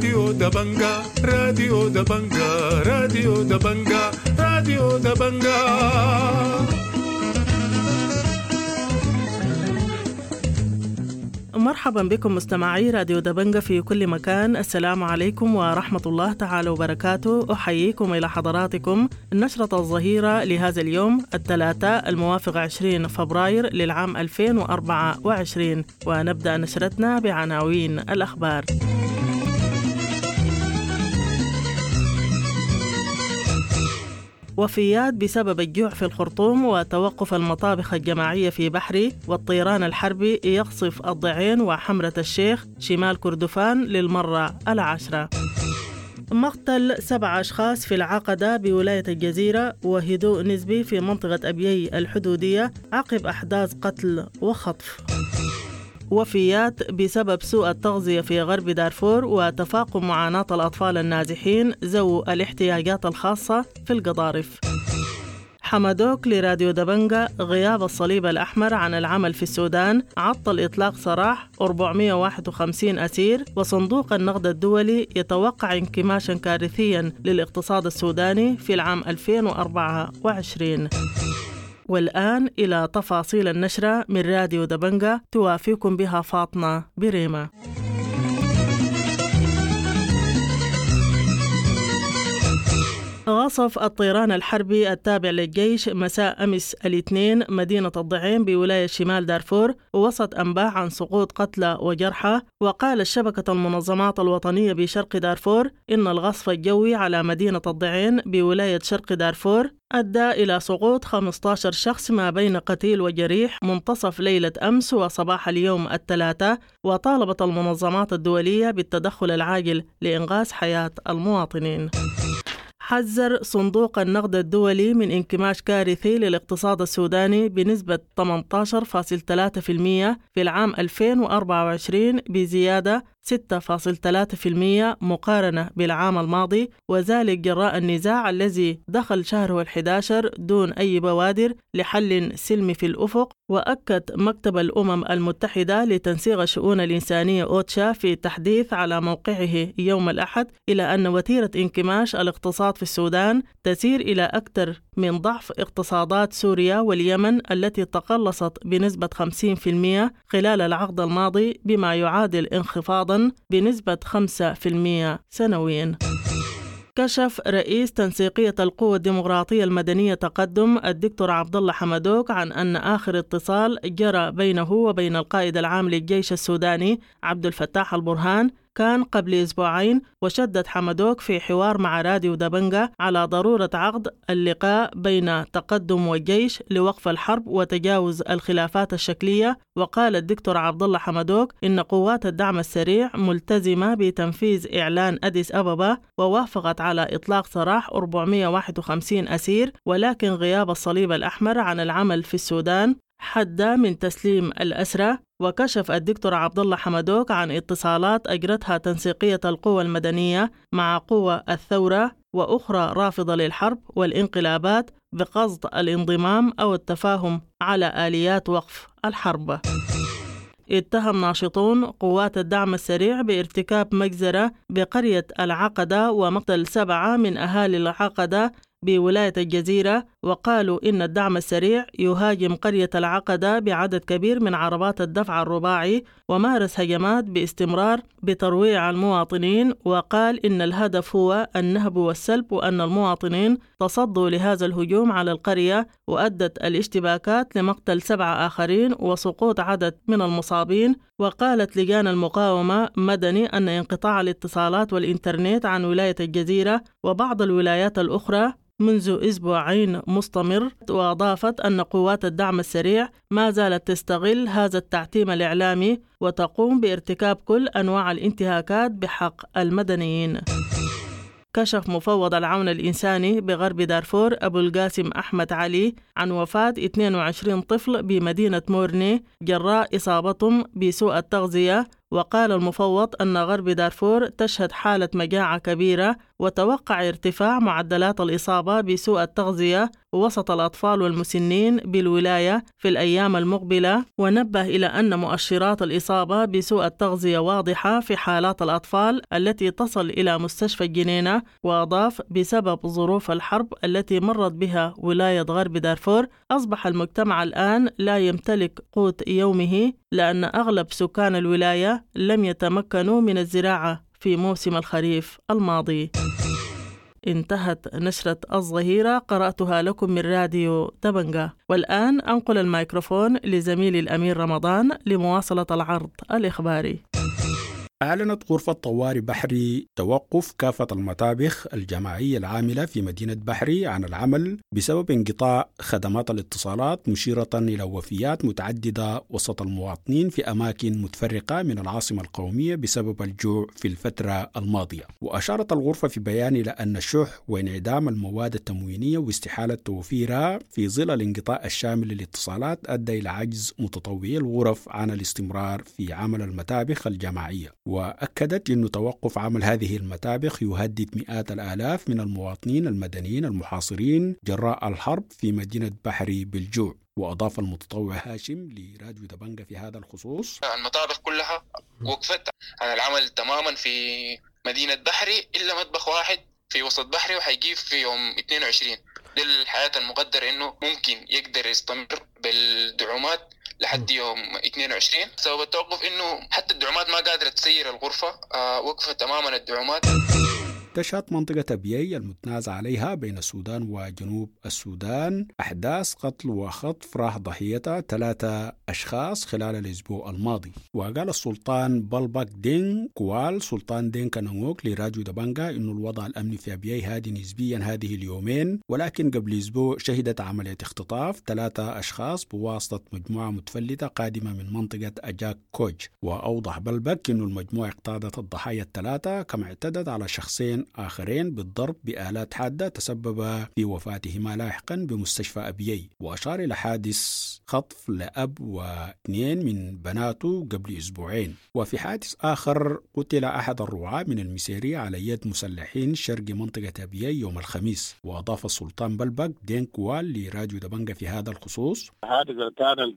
راديو دبنجا، راديو دبنجا، راديو دبنجا، راديو دبنجا. مرحبا بكم مستمعي راديو دبنجة في كل مكان. السلام عليكم ورحمة الله تعالى وبركاته. أحييكم إلى حضراتكم نشرة الظهيرة لهذا اليوم الثلاثاء الموافق 20 فبراير للعام 2024، ونبدأ نشرتنا بعناوين الأخبار. وفيات بسبب الجوع في الخرطوم وتوقف المطابخ الجماعية في بحري، والطيران الحربي يقصف الضعين وحمرة الشيخ شمال كردفان للمرة العاشرة. مقتل 7 أشخاص في العقدة بولاية الجزيرة وهدوء نسبي في منطقة أبيي الحدودية عقب أحداث قتل وخطف. وفيات بسبب سوء التغذية في غرب دارفور وتفاقم معاناة الأطفال النازحين ذوي الاحتياجات الخاصة في القضارف. حمدوك لراديو دبنجة: غياب الصليب الأحمر عن العمل في السودان عطل إطلاق سراح 451 أسير، وصندوق النقد الدولي يتوقع انكماشا كارثيا للاقتصاد السوداني في العام 2024. والآن إلى تفاصيل النشرة من راديو دبنجة توافيكم بها فاطمة بريمة. غصف الطيران الحربي التابع للجيش مساء أمس الاثنين مدينة الضعين بولاية شمال دارفور وسط أنباء عن سقوط قتلى وجرحى. وقال شبكة المنظمات الوطنية بشرق دارفور إن الغصف الجوي على مدينة الضعين بولاية شرق دارفور أدى إلى سقوط 15 شخص ما بين قتيل وجريح منتصف ليلة أمس وصباح اليوم الثلاثاء. وطالبت المنظمات الدولية بالتدخل العاجل لإنقاذ حياة المواطنين. حذر صندوق النقد الدولي من انكماش كارثي للاقتصاد السوداني بنسبة 18.3% في العام 2024 بزيادة 6.3% مقارنة بالعام الماضي، وذلك جراء النزاع الذي دخل شهره 11 دون أي بوادر لحل سلمي في الأفق. وأكد مكتب الأمم المتحدة لتنسيق الشؤون الإنسانية أوتشا في تحديث على موقعه يوم الأحد إلى أن وتيرة انكماش الاقتصاد في السودان تسير إلى أكثر من ضعف اقتصادات سوريا واليمن التي تقلصت بنسبة 50% خلال العقد الماضي، بما يعادل انخفاضا بنسبة 5% سنويا. كشف رئيس تنسيقية القوى الديمقراطية المدنية تقدم الدكتور عبد الله حمدوك عن أن آخر اتصال جرى بينه وبين القائد العام للجيش السوداني عبد الفتاح البرهان كان قبل أسبوعين. وشدد حمدوك في حوار مع راديو دبنجة على ضرورة عقد اللقاء بين تقدم والجيش لوقف الحرب وتجاوز الخلافات الشكلية. وقال الدكتور عبد الله حمدوك إن قوات الدعم السريع ملتزمة بتنفيذ إعلان أديس أبابا ووافقت على إطلاق سراح 451 أسير، ولكن غياب الصليب الأحمر عن العمل في السودان حد من تسليم الأسرى. وكشف الدكتور عبد الله حمدوك عن اتصالات أجرتها تنسيقية القوى المدنية مع قوى الثورة وأخرى رافضة للحرب والانقلابات بقصد الانضمام أو التفاهم على آليات وقف الحرب. اتهم ناشطون قوات الدعم السريع بارتكاب مجزرة بقرية العقدة ومقتل 7 من أهالي العقدة بولاية الجزيرة، وقالوا إن الدعم السريع يهاجم قرية العقدة بعدد كبير من عربات الدفع الرباعي ومارس هجمات باستمرار بترويع المواطنين. وقال إن الهدف هو النهب والسلب، وأن المواطنين تصدوا لهذا الهجوم على القرية، وأدت الاشتباكات لمقتل 7 آخرين وسقوط عدد من المصابين. وقالت لجان المقاومة مدني أن انقطاع الاتصالات والإنترنت عن ولاية الجزيرة وبعض الولايات الأخرى منذ أسبوعين مستمر. وأضافت أن قوات الدعم السريع ما زالت تستغل هذا التعتيم الإعلامي وتقوم بارتكاب كل أنواع الانتهاكات بحق المدنيين. كشف مفوض العون الإنساني بغرب دارفور أبو القاسم أحمد علي عن وفاة 22 طفل بمدينة مورني جراء إصابتهم بسوء التغذية. وقال المفوض أن غرب دارفور تشهد حالة مجاعة كبيرة، وتوقع ارتفاع معدلات الإصابة بسوء التغذية وسط الأطفال والمسنين بالولاية في الأيام المقبلة، ونبه إلى أن مؤشرات الإصابة بسوء التغذية واضحة في حالات الأطفال التي تصل إلى مستشفى الجنينة. وأضاف بسبب ظروف الحرب التي مرت بها ولاية غرب دارفور أصبح المجتمع الآن لا يمتلك قوت يومه، لأن أغلب سكان الولاية لم يتمكنوا من الزراعة في موسم الخريف الماضي. انتهت نشرة الظهيرة، قرأتها لكم من راديو دبنجا، والآن أنقل الميكروفون لزميلي الأمير رمضان لمواصلة العرض الإخباري. أعلنت غرفة طوارئ بحري توقف كافة المطابخ الجماعية العاملة في مدينة بحري عن العمل بسبب انقطاع خدمات الاتصالات، مشيرة إلى وفيات متعددة وسط المواطنين في أماكن متفرقة من العاصمة القومية بسبب الجوع في الفترة الماضية. وأشارت الغرفة في بيان إلى أن الشح وانعدام المواد التموينية واستحالة توفيرها في ظل الانقطاع الشامل للاتصالات أدى إلى عجز متطوعي الغرف عن الاستمرار في عمل المطابخ الجماعية. وأكدت أن توقف عمل هذه المطابخ يهدد مئات الآلاف من المواطنين المدنيين المحاصرين جراء الحرب في مدينة بحري بالجوع. وأضاف المتطوع هاشم لراديو دبنجة في هذا الخصوص: المطابخ كلها وقفت عن العمل تماما في مدينة بحري إلا مطبخ واحد في وسط بحري، وحيجيب في يوم 22. للحياة المقدر إنه ممكن يقدر يستمر بالدعومات لحد يوم 22. سبب التوقف إنه حتى الدعومات ما قادرة تسير الغرفة، وقفت تماما الدعومات. تشهد منطقة أبيي المتنازع عليها بين السودان وجنوب السودان أحداث قتل وخطف راح ضحيتها 3 أشخاص خلال الأسبوع الماضي. وقال السلطان بلبك دين كوال سلطان دين كانونغوك لراديو دبنجا إنه الوضع الأمني في أبيي هادي نسبيا هذه اليومين، ولكن قبل أسبوع شهدت عملية اختطاف 3 أشخاص بواسطة مجموعة متفلتة قادمة من منطقة أجاك كوج. وأوضح بلبك إنه المجموعة اقتادت الضحايا 3 كما اعتدت على شخصين آخرين بالضرب بآلات حادة تسبب في وفاتهما لاحقا بمستشفى أبيي. وأشار إلى حادث خطف لأب و2 من بناته قبل أسبوعين. وفي حادث آخر قتل أحد الرعاة من المسيرية على يد مسلحين شرق منطقة أبيي يوم الخميس. وأضاف السلطان بلبك دين كوال لراديو دبنجة في هذا الخصوص: حادث كان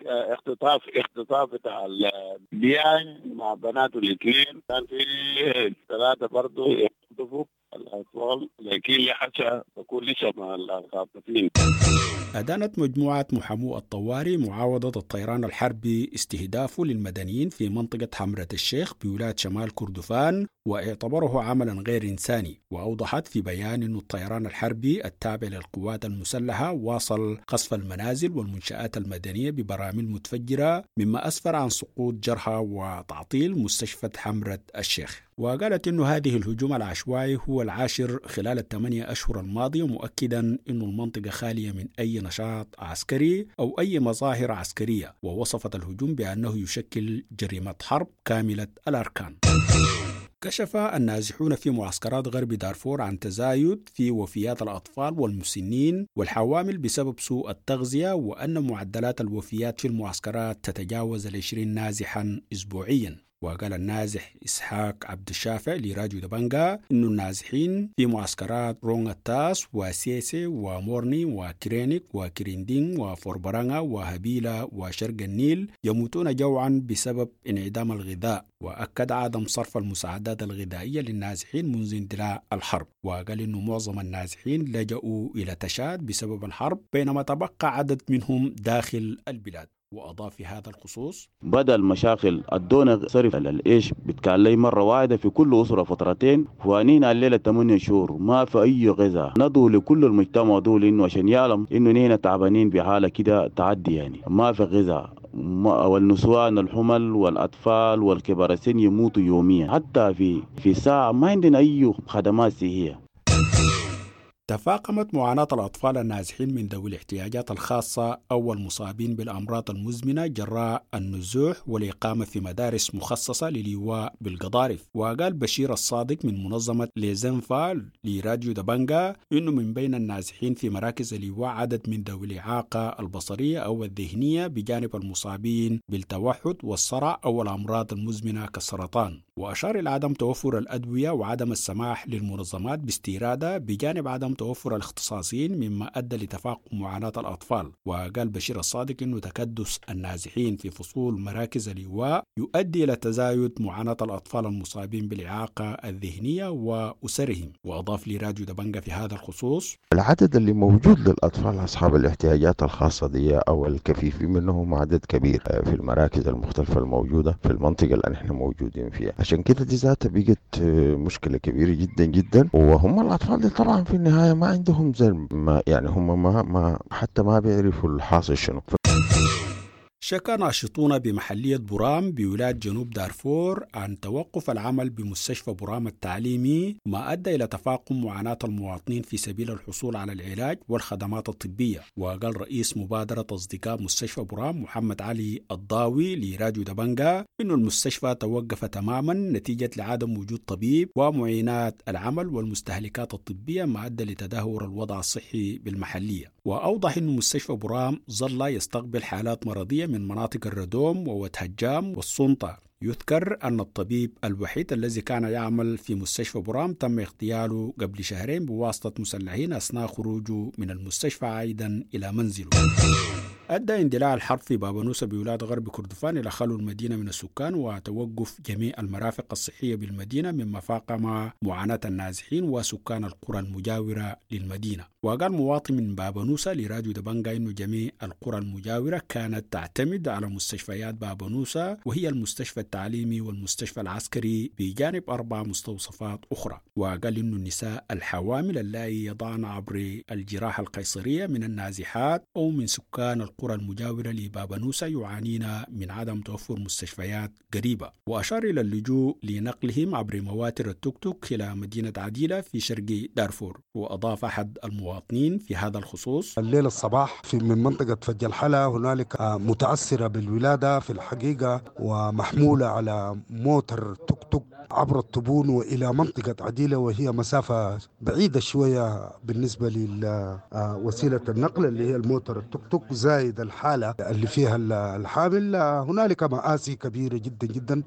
اختطاف بتاع البيان مع بناته الاثنين، كان في 3 برضه يخطفوا الأطفال، لكن لحسة بكون لسه مع الخاطفين. أدانت مجموعة محامو الطوارئ معاوضة الطيران الحربي استهدافه للمدنيين في منطقة حمرة الشيخ بولاية شمال كردفان واعتبره عملا غير إنساني. وأوضحت في بيان أن الطيران الحربي التابع للقوات المسلحة واصل قصف المنازل والمنشآت المدنية ببراميل متفجرة، مما أسفر عن سقوط جرحى وتعطيل مستشفى حمرة الشيخ. وقالت أن هذه الهجوم العشوائي هو العاشر خلال ال8 أشهر الماضية، مؤكدا أن المنطقة خالية من أي نشاط عسكري أو أي مظاهر عسكرية. ووصفت الهجوم بأنه يشكل جريمة حرب كاملة الأركان. كشف النازحون في معسكرات غرب دارفور عن تزايد في وفيات الأطفال والمسنين والحوامل بسبب سوء التغذية، وأن معدلات الوفيات في المعسكرات تتجاوز 20 نازحا أسبوعيا. وقال النازح إسحاق عبد الشافع لراديو دبنجا إن النازحين في معسكرات رونغ التاس وسيسي ومورني وكرينيك وكريندين وفوربرانغا وهبيلة وشرق النيل يموتون جوعا بسبب انعدام الغذاء. وأكد عدم صرف المساعدات الغذائية للنازحين منذ اندلاع الحرب. وقال إنه معظم النازحين لجأوا إلى تشاد بسبب الحرب، بينما تبقى عدد منهم داخل البلاد. وأضاف في هذا الخصوص: بدل مشاكل ادونا صرف الإيش بتكان لي مرة واحدة في كل أسرة فترتين، وانينا الليلة 8 شهور ما في أي غذاء. ندعو لكل المجتمع دول إنه عشان يعلم إنه نحن تعبانين بحالة كده تعدي، يعني ما في غذاء، والنسوان الحمل والأطفال والكبار السن يموتوا يوميا، حتى في ساعة ما عندنا أي خدمات صحية. تفاقمت معاناة الأطفال النازحين من ذوي الاحتياجات الخاصة أو المصابين بالأمراض المزمنة جراء النزوح والإقامة في مدارس مخصصة للإيواء بالقضارف. وقال بشير الصادق من منظمة ليزنفا لراديو دبنجا إنه من بين النازحين في مراكز الإيواء عدد من ذوي الإعاقة البصرية أو الذهنية بجانب المصابين بالتوحد والصرع أو الأمراض المزمنة كالسرطان. وأشار إلى عدم توفر الأدوية وعدم السماح للمنظمات باستيرادها بجانب عدم توفر الاختصاصيين، مما أدى لتفاقم معاناة الأطفال. وقال بشير الصادق أنه تكدس النازحين في فصول مراكز الإيواء يؤدي إلى تزايد معاناة الأطفال المصابين بالإعاقة الذهنية وأسرهم. وأضاف لراديو دبنجا في هذا الخصوص: العدد اللي موجود للأطفال أصحاب الاحتياجات الخاصة دي أو الكفيفين منهم عدد كبير في المراكز المختلفة الموجودة في المنطقة اللي نحن موجودين فيها، عشان كده دي ذاتها بقت مشكلة كبيرة جدا جدا. وهم الأطفال دي طبعا في النهاية ما عندهم زي ما يعني هم ما حتى ما بيعرفوا الحاصل شنو. شكى ناشطون بمحلية برام بولاية جنوب دارفور عن توقف العمل بمستشفى برام التعليمي، ما أدى إلى تفاقم معاناة المواطنين في سبيل الحصول على العلاج والخدمات الطبية. وقال رئيس مبادرة أصدقاء مستشفى برام محمد علي الضاوي لراديو دبنجا إنه المستشفى توقف تماما نتيجة لعدم وجود طبيب ومعينات العمل والمستهلكات الطبية، ما أدى لتدهور الوضع الصحي بالمحلية. وأوضح أن مستشفى برام ظل يستقبل حالات مرضية من مناطق الردوم ووتهجام والسلطة. يذكر أن الطبيب الوحيد الذي كان يعمل في مستشفى برام تم اغتياله قبل شهرين بواسطة مسلحين أثناء خروجه من المستشفى عائدا إلى منزله. أدى اندلاع الحرب في بابانوسة بولاية غرب كردفان إلى خلو المدينة من السكان وتوقف جميع المرافق الصحية بالمدينة، مما فاقم معاناة النازحين وسكان القرى المجاورة للمدينة. وقال مواطن من بابانوسة لراديو دبنجا إنه جميع القرى المجاورة كانت تعتمد على مستشفيات بابانوسة، وهي المستشفى التعليمي والمستشفى العسكري بجانب 4 مستوصفات أخرى. وقال إنه النساء الحوامل اللائي يضعن عبر الجراحة القيصرية من النازحات أو من سكان القرى المجاورة لبابانوسة يعانين من عدم توفر مستشفيات قريبة. وأشار إلى اللجوء لنقلهم عبر مواتر التوك توك إلى مدينة عديلة في شرق دارفور. وأضاف أحد المواطنين في هذا الخصوص: الليلة الصباح من منطقة فج الحلا هنالك متأثرة بالولادة في الحقيقة ومحمولة على موتر توك توك عبر الطبون وإلى منطقة عديلة، وهي مسافة بعيدة شوية بالنسبة لوسيلة النقل اللي هي الموتر التوك توك، زايد الحالة اللي فيها الحامل. هنالك مآسي كبيرة جدا جدا.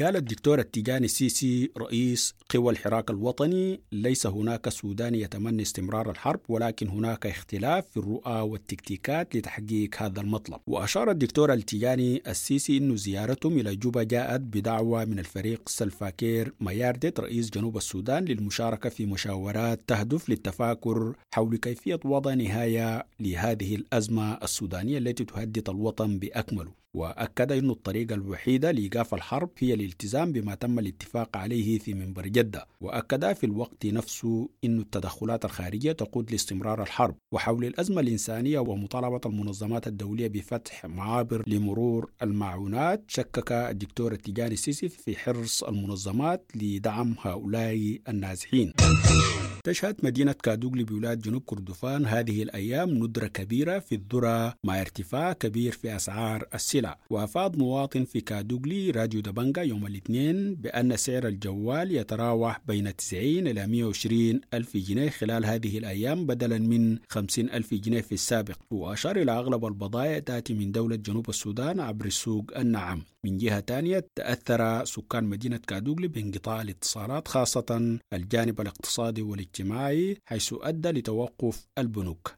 قال الدكتور التجاني السيسي رئيس قوى الحراك الوطني: ليس هناك سوداني يتمنى استمرار الحرب، ولكن هناك اختلاف في الرؤى والتكتيكات لتحقيق هذا المطلب. وأشار الدكتور التجاني السيسي أن زيارتهم إلى جوبا جاءت بدعوة من الفريق سلفاكير ميارديت رئيس جنوب السودان للمشاركة في مشاورات تهدف للتفاكر حول كيفية وضع نهاية لهذه الأزمة السودانية التي تهدد الوطن بأكمله. وأكد أن الطريقة الوحيدة لإيقاف الحرب هي الالتزام بما تم الاتفاق عليه في منبر جدة. وأكد في الوقت نفسه أن التدخلات الخارجية تقود لاستمرار الحرب. وحول الأزمة الإنسانية ومطالبة المنظمات الدولية بفتح معابر لمرور المعونات، شكك الدكتور التجاني السيسي في حرص المنظمات لدعم هؤلاء النازحين. تشهد مدينة كادوغلي بولاية جنوب كردفان هذه الأيام ندرة كبيرة في الذرة مع ارتفاع كبير في أسعار السلع. وأفاد مواطن في كادوغلي راديو دبنجا يوم الاثنين بأن سعر الجوال يتراوح بين 90 إلى 120 ألف جنيه خلال هذه الأيام بدلا من 50 ألف جنيه في السابق. وأشار إلى أغلب البضائع تأتي من دولة جنوب السودان عبر السوق النعم. من جهة ثانية تأثر سكان مدينة كادوغلي بانقطاع الاتصالات، خاصة الجانب الاقتصادي والاجتماعي، حيث أدى لتوقف البنوك.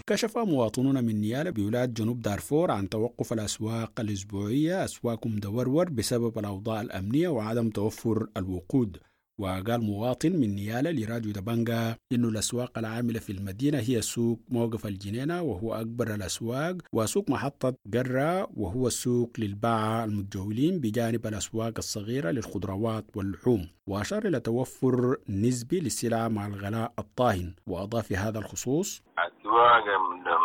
كشف مواطنون من نيالا بولاية جنوب دارفور عن توقف الأسواق الأسبوعية أسواق مدورور بسبب الأوضاع الأمنية وعدم توفر الوقود. وقال مواطن من نيالا لراديو دبنجا إنه الأسواق العاملة في المدينة هي سوق موقف الجنينة وهو أكبر الأسواق، وسوق محطة قرة وهو السوق للباعة المتجولين بجانب الأسواق الصغيرة للخضروات واللحوم. وأشار إلى توفر نسبي للسلع مع الغلاء الطاهن. وأضاف في هذا الخصوص: أسواق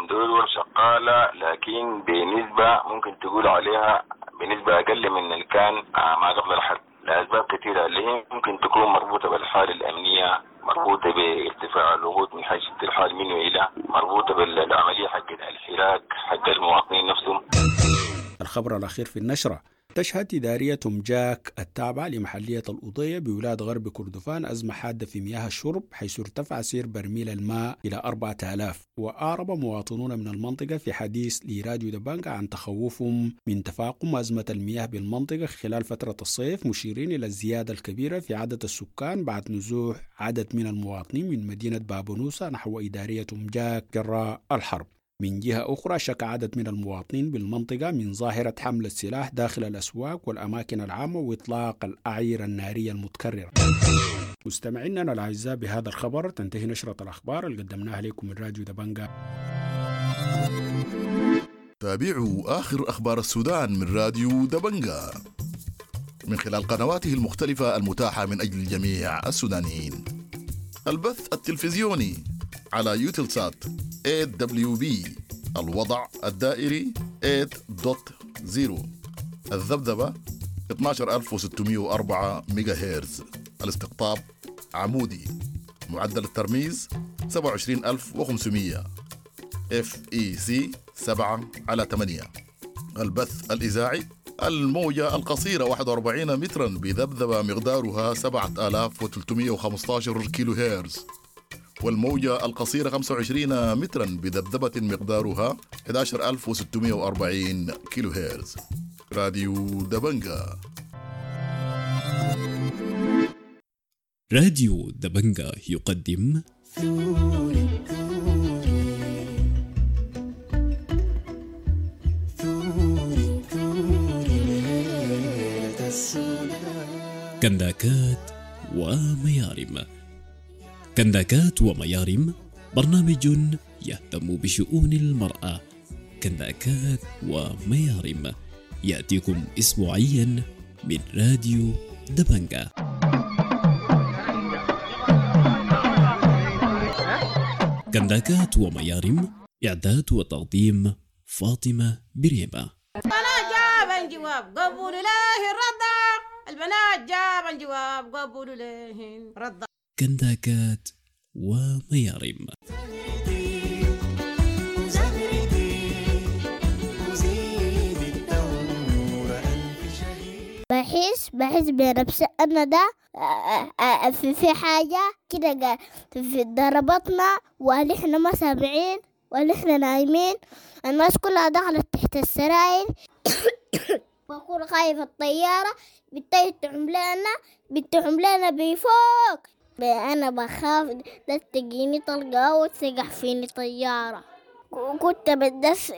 مدورور شغالة، لكن بنسبة ممكن تقول عليها بنسبة أقل من اللي كان ما قبل الحرب، لأسباب كثيرة اللي هي ممكن تكون مربوطة بالحالة الأمنية، مربوطة بارتفاع الوقود من حيث الترحال منه إلى، مربوطة بالعملية حق الحراك حق المواطنين نفسهم. الخبر الأخير في النشرة: تشهد إدارية جاك التابعة لمحلية الأضية بولاية غرب كردفان أزمة حادة في مياه الشرب، حيث ارتفع سعر برميل الماء إلى 4000. وأعرب مواطنون من المنطقة في حديث لراديو دبنجا عن تخوفهم من تفاقم أزمة المياه بالمنطقة خلال فترة الصيف، مشيرين إلى الزيادة الكبيرة في عدد السكان بعد نزوح عدد من المواطنين من مدينة بابونوسا نحو إدارية جاك جراء الحرب. من جهة أخرى، شكا عدد من المواطنين بالمنطقة من ظاهرة حمل السلاح داخل الأسواق والأماكن العامة وإطلاق الأعيرة النارية المتكررة. مستمعينا الأعزاء، بهذا الخبر تنتهي نشرة الأخبار اللي قدمناها لكم من راديو دبنجا. تابعوا آخر أخبار السودان من راديو دبنجا من خلال قنواته المختلفة المتاحة من أجل جميع السودانيين. البث التلفزيوني على يوتلسات 8WB، الوضع الدائري 8.0، الذبذبة 12604 ميجا هرتز، الاستقطاب عمودي، معدل الترميز 27500، FEC 7/8. البث الإذاعي الموجة القصيرة 41 مترا بذبذبة مقدارها 7315 كيلو هرتز، والموجة القصيرة 25 مترا بذبذبة مقدارها 11640 كيلو هرتز. راديو دبنجا. راديو دبنجا يقدم كنداكات وميارم. كنداكات وميارم برنامج يهتم بشؤون المرأة. كنداكات وميارم يأتيكم أسبوعيا من راديو دبنجا. كنداكات وميارم، إعداد وتقديم فاطمة بريمة. البنات جاب الجواب قبولوا له الرضا، البنات جاب الجواب قبولوا له الرضا. كنداكات وميارم. بحس بنفسي أنا ده في حاجة كده في ضربتنا، وهل إحنا ما سامعين وهل إحنا نايمين. الناس كلها دخلت تحت السراير. بكون خايف الطيارة بتعملنا بفوق. أنا بخاف ده تجيني طلقة وتسقح فيني طيارة. كنت بتدس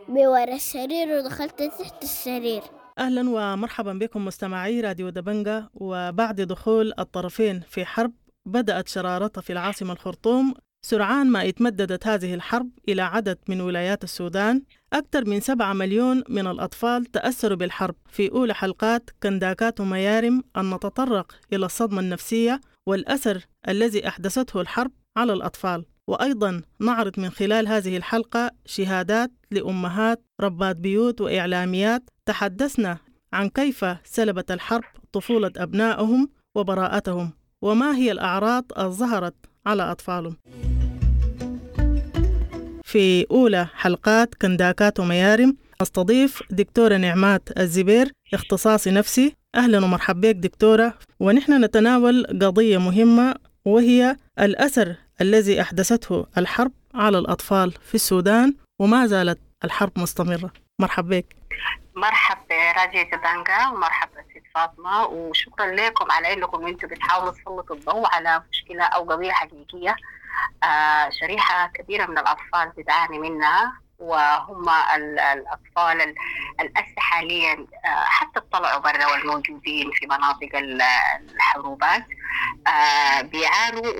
بورا السرير ودخلت تحت السرير. أهلا ومرحبا بكم مستمعي راديو دبنجا. وبعد دخول الطرفين في حرب بدأت شرارتها في العاصمة الخرطوم، سرعان ما اتمددت هذه الحرب إلى عدد من ولايات السودان. أكثر من 7 مليون من الأطفال تأثروا بالحرب. في أولى حلقات كنداكات وميارم أن نتطرق إلى الصدمة النفسية والأثر الذي أحدثته الحرب على الأطفال، وأيضا نعرض من خلال هذه الحلقة شهادات لأمهات ربات بيوت وإعلاميات تحدثنا عن كيف سلبت الحرب طفولة أبنائهم وبراءتهم، وما هي الأعراض الظهرت على أطفالهم. في أولى حلقات كنداكات وميارم أستضيف دكتورة نعمات الزبير، اختصاصي نفسي. أهلا ومرحبا بك دكتورة. ونحن نتناول قضية مهمة وهي الأثر الذي أحدثته الحرب على الأطفال في السودان، وما زالت الحرب مستمرة. مرحبا بك. مرحبا راديو دبنجا ومرحبا سيد فاطمة، وشكرا لكم على انكم انتم بتحاولوا تسلطوا الضوء على مشكلة او قضية حقيقية شريحة كبيرة من الأطفال بتعاني منها، وهم الأطفال الأس حاليا حتى طلعوا برا والموجودين في مناطق الحروبات بيعانوا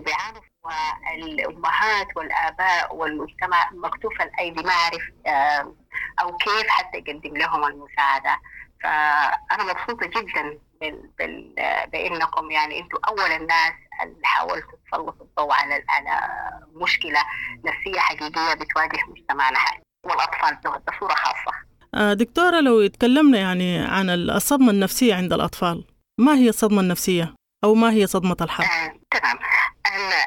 والأمهات والآباء والمجتمع مكتوف الأيدي ما عرف أو كيف حتى يقدم لهم المساعدة. فأنا مبسوطة جدا بأنكم يعني أنتم أول الناس اللي حاولتوا تسلطوا الضوء على مشكلة نفسية حقيقية بتواجه مجتمعنا حاليا والأطفال بصورة خاصة. دكتورة، لو اتكلمنا يعني عن الصدمة النفسية عند الأطفال، ما هي الصدمة النفسية؟ أو ما هي صدمة الحرب؟ تمام.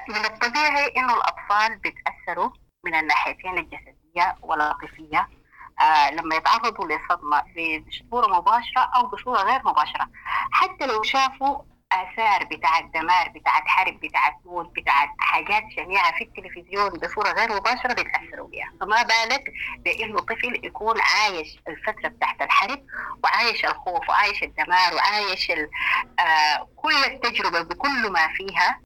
من الطبيعي إنه الأطفال بيتأثروا من الناحيتين الجسدية والعاطفية لما يتعرضوا لصدمة بصورة مباشرة أو بصورة غير مباشرة، حتى لو شافوا آثار بتاعت دمار، بتاعت حرب، بتاعت موت، بتاعت حاجات شنيعة في التلفزيون بصورة غير مباشرة بيتأثروا بيها. فما بالك بإنه طفل يكون عايش الفترة بتاعت الحرب وعايش الخوف وعايش الدمار وعايش كل التجربة بكل ما فيها،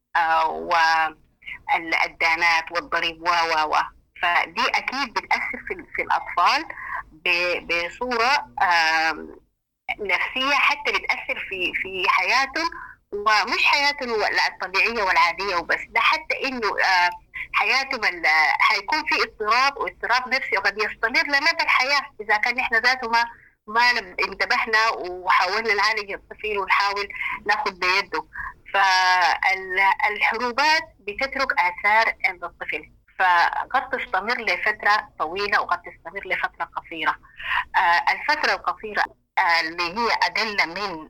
والدانات والضرب و و و فدي أكيد بتأثر في الأطفال بصورة نفسية، حتى بتأثر في حياتهم، ومش حياتهم الطبيعية والعادية وبس، ده حتى إنه حياتهم حيكون في اضطراب، واضطراب نفسي وقد يستمر لمدى الحياة إذا كان إحنا ذاته ما انتبهنا وحاولنا نعالج الطفل ونحاول ناخذ بيده. فالحروبات بتترك آثار عند الطفل، فقد تستمر لفترة طويلة وقد تستمر لفترة قصيرة. الفترة القصيرة اللي هي أقل من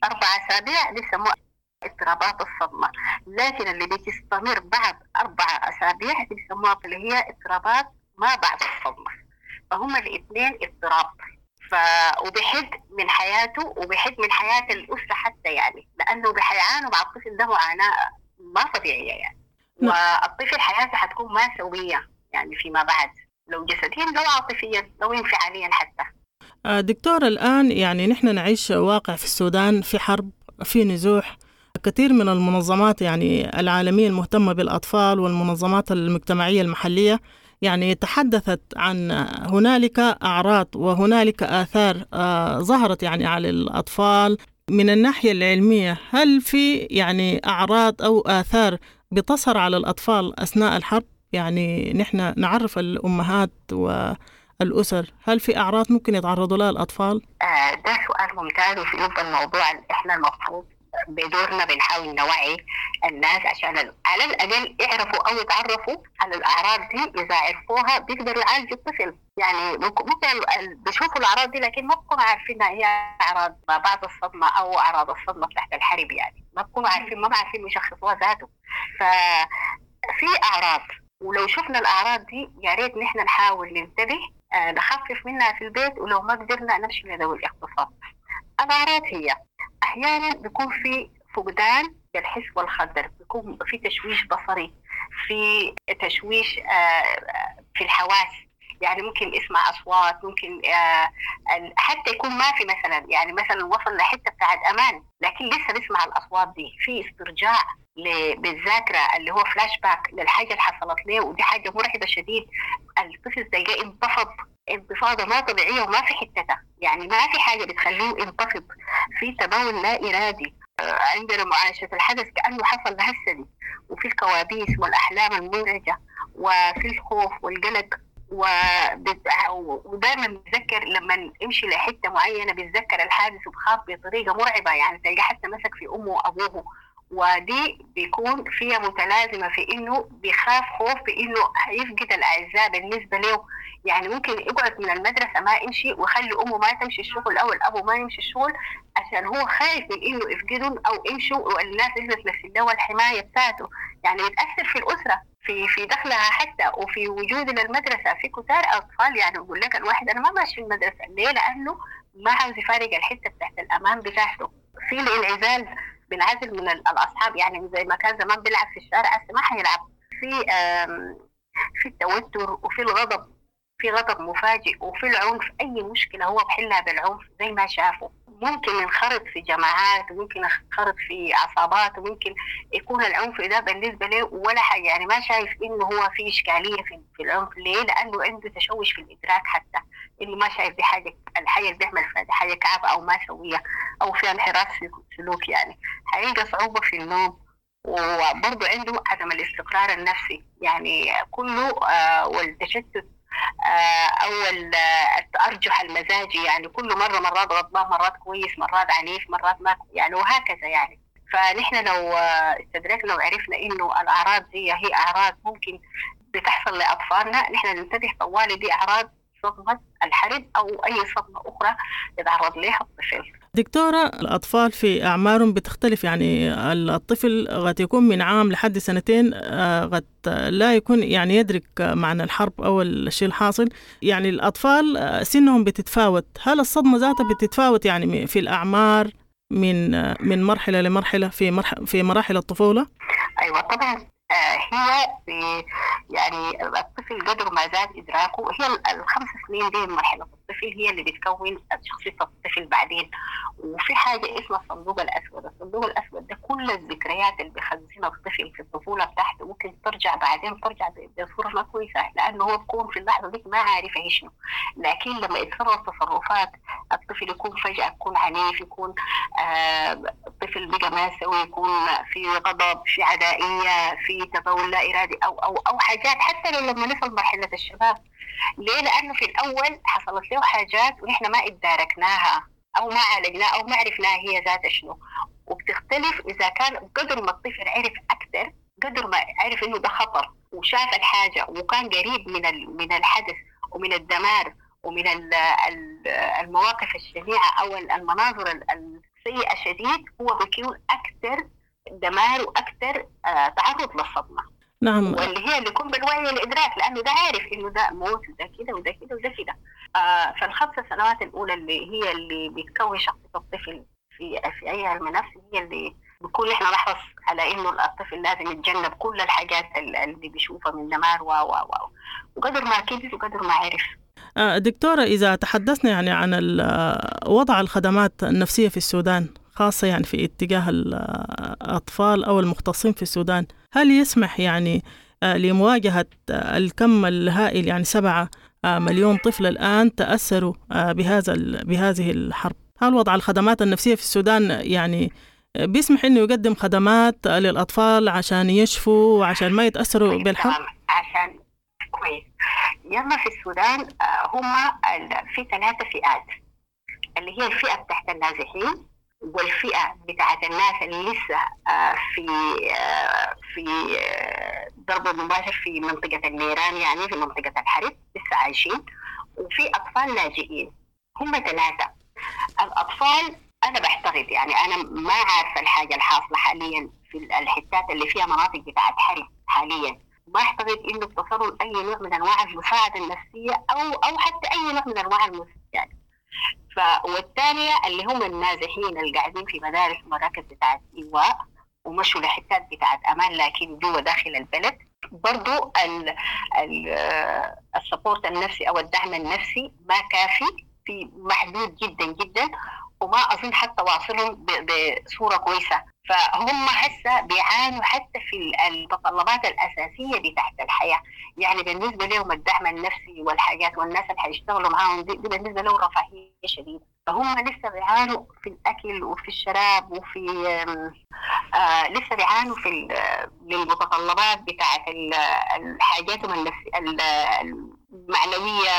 4 أسابيع بيسموها اضطرابات الصدمة، لكن اللي بتستمر بعد 4 أسابيع بيسموها اللي هي اضطرابات ما بعد الصدمة. فهم الاثنين اضطراب، وبحد من حياته وبحد من حياة الأسرة حتى، يعني لأنه بحيعانوا مع الطفل ده معاناة ما طبيعية يعني. والطفل حياته حتكون ما سوية يعني فيما بعد، لو جسديا لو عاطفيا لو انفعاليا حتى. دكتور، الآن يعني نحن نعيش واقع في السودان، في حرب، في نزوح، كثير من المنظمات يعني العالمية المهتمة بالأطفال والمنظمات المجتمعية المحلية يعني تحدثت عن هنالك أعراض وهنالك آثار ظهرت يعني على الأطفال. من الناحية العلمية، هل في يعني أعراض أو آثار بتظهر على الأطفال أثناء الحرب؟ يعني نحن نعرف الأمهات والأسر، هل في أعراض ممكن يتعرضوا لها الأطفال؟ ده سؤال ممتاز، وفي لب الموضوع إحنا المفروض بدورنا بنحاول نوعي الناس عشان على الأقل يعرفوا أو يتعرفوا على الأعراض دي. إذا عرفوها بيقدروا يعالجوا الطفل. يعني ممكن بيشوفوا الأعراض دي لكن ما بيكونوا عارفين هي أعراض ما بعد الصدمة أو أعراض الصدمة تحت الحرب، يعني ما بيكونوا عارفين، ما عارفين يشخصوها ذاته. ففي أعراض، ولو شفنا الأعراض دي يا ريت نحن نحاول ننتبه، نخفف منها في البيت، ولو ما قدرنا نمشي لذوي الاختصاص. الأعراض هي أحيانا بيكون في فقدان للحس والخدر، بيكون في تشويش بصري، في تشويش في الحواس، يعني ممكن يسمع أصوات، ممكن حتى يكون ما في مثلا، يعني مثلا وصل لحتة بتاعت أمان لكن لسه بيسمع الأصوات دي. في استرجاع بالذاكرة اللي هو فلاش باك للحاجة اللي حصلت له، ودي حاجة مرعبة شديد. الطفل تلقاه انتفض انتفاضة ما طبيعية وما في حتتها، يعني ما في حاجة بتخليه ينتفض. في تبول لا إرادي، عندنا معايشة الحدث كأنه حصل لهسه دي، وفي الكوابيس والأحلام المزعجة، وفي الخوف والقلق، ودائما بتذكر لما يمشي لحتة معينة بيتذكر الحادث وبخاف بطريقة مرعبة، يعني تلقاه حتى مسك في أمه وأبوه. ودي بيكون فيها متلازمة في إنه بيخاف خوف بإنه هيفقد الأعزاء بالنسبة له، يعني ممكن يقعد من المدرسة ما يمشي ويخلي أمه ما تمشي الشغل أو الأبو ما يمشي الشغل عشان هو خايف من إنه يفقدهم أو يمشوا والناس اللي تمثل له الحماية بتاعته. يعني بتأثر في الأسرة، في دخلها حتى، وفي وجوده للمدرسة. في كتار أطفال يعني يقول لك الواحد أنا ما ماشي المدرسة، ليه؟ لأنه ما عاوز يفارق الحتة بتاعت الأمان بتاعته. في الانعزال، بنعزل من الأصحاب، يعني زي ما كان زمان بيلعب في الشارع هسه ما حيلعب. في التوتر، وفي الغضب، في غضب مفاجئ، وفي العنف. أي مشكلة هو بحلها بالعنف زي ما شافه. ممكن ينخرط في جماعات، وممكن ينخرط في عصابات، وممكن يكون العنف ده بالنسبة له ولا حاجة، يعني ما شايف إنه هو في إشكالية في العنف. ليه؟ لأنه عنده تشوش في الإدراك، حتى إنه ما شايف دي حاجة، الحاجة اللي بيعمل فيها دي حاجة كعبة أو ما سوية أو فيها انحراف في سلوك. يعني هيلقى صعوبة في النوم، وبرضه عنده عدم الاستقرار النفسي، يعني كله والتشتت أو التأرجح المزاجي، يعني كل مرة مرات غضبان، مرات كويس، مرات عنيف، مرات ما، يعني وهكذا. يعني فنحن لو استدركنا وعرفنا إنه الأعراض دي هي أعراض ممكن بتحصل لأطفالنا، نحن ننتبه طوالي دي أعراض صدمة الحرب أو أي صدمة أخرى يتعرض لها الطفل. دكتورة، الأطفال في أعمارهم بتختلف، يعني الطفل قد يكون من عام لحد سنتين قد لا يكون يعني يدرك معنى الحرب أو الشيء الحاصل، يعني الأطفال سنهم بتتفاوت. هل الصدمة ذاتها بتتفاوت يعني في الأعمار من مرحلة لمرحلة في مراحل الطفولة؟ أيوة طبعا، هي يعني الطفل قدر ما زاد إدراكه، هي ال5 سنين دي مرحلة الطفل هي اللي بتكون شخصية الطفل بعدين. وفي حاجة اسمها الصندوق الأسود، الصندوق الأسود ده كل الذكريات اللي بيخزنها الطفل في الطفولة بتاعته ممكن ترجع بعدين، ترجع بصورة ما كويسة، لأنه هو بيكون في اللحظة دي ما عارف شنو. لكن لما يتصرف تصرفات الطفل يكون فجأة يكون عنيف، يكون الطفل بقى ما سوي، يكون في غضب، في عدائية، في تبول لا إرادي أو أو أو حاجات، حتى لو لما نصل مرحلة الشباب. ليه؟ لأنه في الأول حصلت له حاجات ونحن ما اداركناها أو ما عالجناها أو ما عرفناها هي ذات شنو. وبتختلف إذا كان قدر ما الطفل عرف أكثر، قدر ما عرف إنه ده خطر وشاف الحاجة وكان قريب من الحدث ومن الدمار ومن المواقف الشنيعة أو المناظر السيئة شديد، هو بيكون أكثر دمار وأكثر تعرض للصدمة. نعم. واللي هي اللي يكون بالوعي والإدراك، لأنه ده عارف إنه ده موت وده كده وده كده وده كده. فال5 سنوات الأولى اللي هي اللي بتكون شخصية الطفل في أي علم نفس، هي اللي بيكون إحنا نحرص على إنه الطفل لازم يتجنب كل الحاجات اللي بيشوفها من دمار و و و وقدر ما كبر وقدر ما عرف. دكتورة، إذا تحدثنا يعني عن وضع الخدمات النفسية في السودان، خاصة يعني في اتجاه الأطفال أو المختصين في السودان، هل يسمح يعني لمواجهة الكم الهائل، يعني 7 مليون طفل الآن تأثروا بهذه الحرب؟ هل وضع الخدمات النفسية في السودان يعني بيسمح إنه يقدم خدمات للأطفال عشان يشفوا وعشان ما يتأثروا بالحرب؟ عشان كويس. يلا في السودان هم في 3 فئات، اللي هي الفئة بتاعت النازحين، والفئة بتاعت الناس اللي لسه في ضرب مباشر في منطقة النيران، يعني في منطقة الحرب لسه عايشين، وفي أطفال لاجئين. هم 3. الأطفال أنا بعتقد يعني أنا ما عارفة الحاجة الحاصلة حاليا في الحتات اللي فيها مناطق بتاعت حرب حاليا، ما أعتقد إنه اتصلوا أي نوع من أنواع المساعدة النفسية أو حتى أي نوع من أنواع المساعدة يعني. والثانية اللي هم النازحين اللي قاعدين في مدارس ومراكز بتاعت إيواء ومشوا لحتات بتاعت أمان لكن جوا داخل البلد، برضو ال support النفسي أو الدعم النفسي ما كافي، في محدود جدا جدا، وما أظن حتى واصلهم بصورة كويسة. فهم هسه بيعانوا حتى في المتطلبات الأساسية بتاعت الحياة، يعني بالنسبة لهم الدعم النفسي والحاجات والناس اللي حيشتغلوا معاهم دي بالنسبة لهم رفاهية شديدة. فهم لسه بيعانوا في الأكل وفي الشراب وفي لسه بيعانوا في المتطلبات بتاعت الحاجات المعنوية،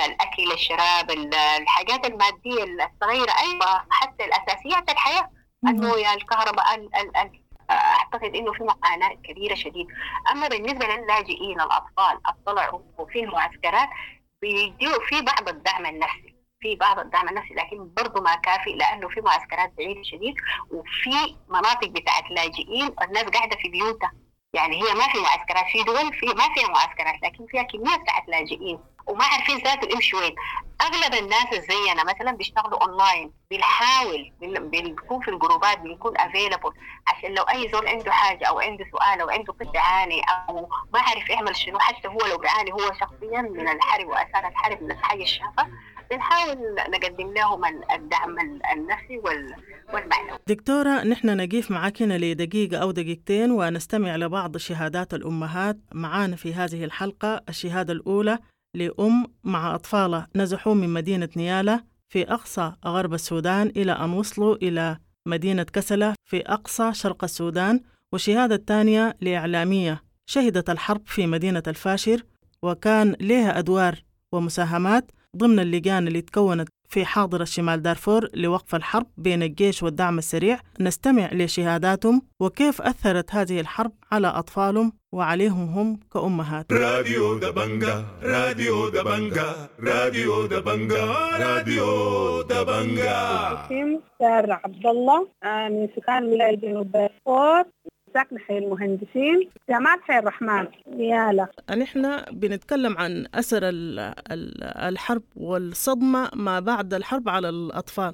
الأكل، الشراب، الحاجات المادية الصغيرة، أيوة حتى الأساسيات الحياة، الموية، الكهرباء. أعتقد إنه في معاناة كبيرة شديد. أما بالنسبة للاجئين الأطفال طلعوا في المعسكرات بيدوا في بعض الدعم النفسي، في بعض الدعم النفسي، لكن برضه ما كافي، لأنه في معسكرات بعيدة شديد وفي مناطق بتاعت لاجئين الناس قاعدة في بيوتها، يعني هي ما في معسكرات، في دول في ما فيها معسكرات لكن فيها كمية بتاعت لاجئين وما عارفين ذاته يمشوا وين. أغلب الناس زينا مثلا بيشتغلوا أونلاين، بنحاول بنكون في الجروبات، بنكون available عشان لو أي زول عنده حاجة أو عنده سؤال أو عنده قصة بيعاني أو ما عارف يعمل شنو، حتى هو لو بيعاني هو شخصيا من الحرب وآثار الحرب من الحاجة الشافة، بنحاول نقدم لهم الدعم النفسي والمعنوي. دكتورة، نحن نقيف معك هنا لدقيقة أو دقيقتين ونستمع لبعض شهادات الأمهات معانا في هذه الحلقة. الشهادة الأولى لأم مع أطفالها نزحوا من مدينة نيالا في أقصى غرب السودان إلى أن وصلوا إلى مدينة كسلة في أقصى شرق السودان. والشهادة الثانية لإعلامية شهدت الحرب في مدينة الفاشر وكان لها أدوار ومساهمات ضمن اللجان اللي تكونت في حاضرة شمال دارفور لوقف الحرب بين الجيش والدعم السريع. نستمع لشهاداتهم وكيف أثرت هذه الحرب على أطفالهم وعليهم هم كأمهات. راديو دبنجا، راديو دبنجا، راديو دبنجا، راديو دبنجا. سارة عبد الله من سكان ولاية جنوب دارفور، ساكنة حي المهندسين، جامعة حي الرحمن، نيالا. نحن بنتكلم عن أثر الحرب والصدمة ما بعد الحرب على الأطفال.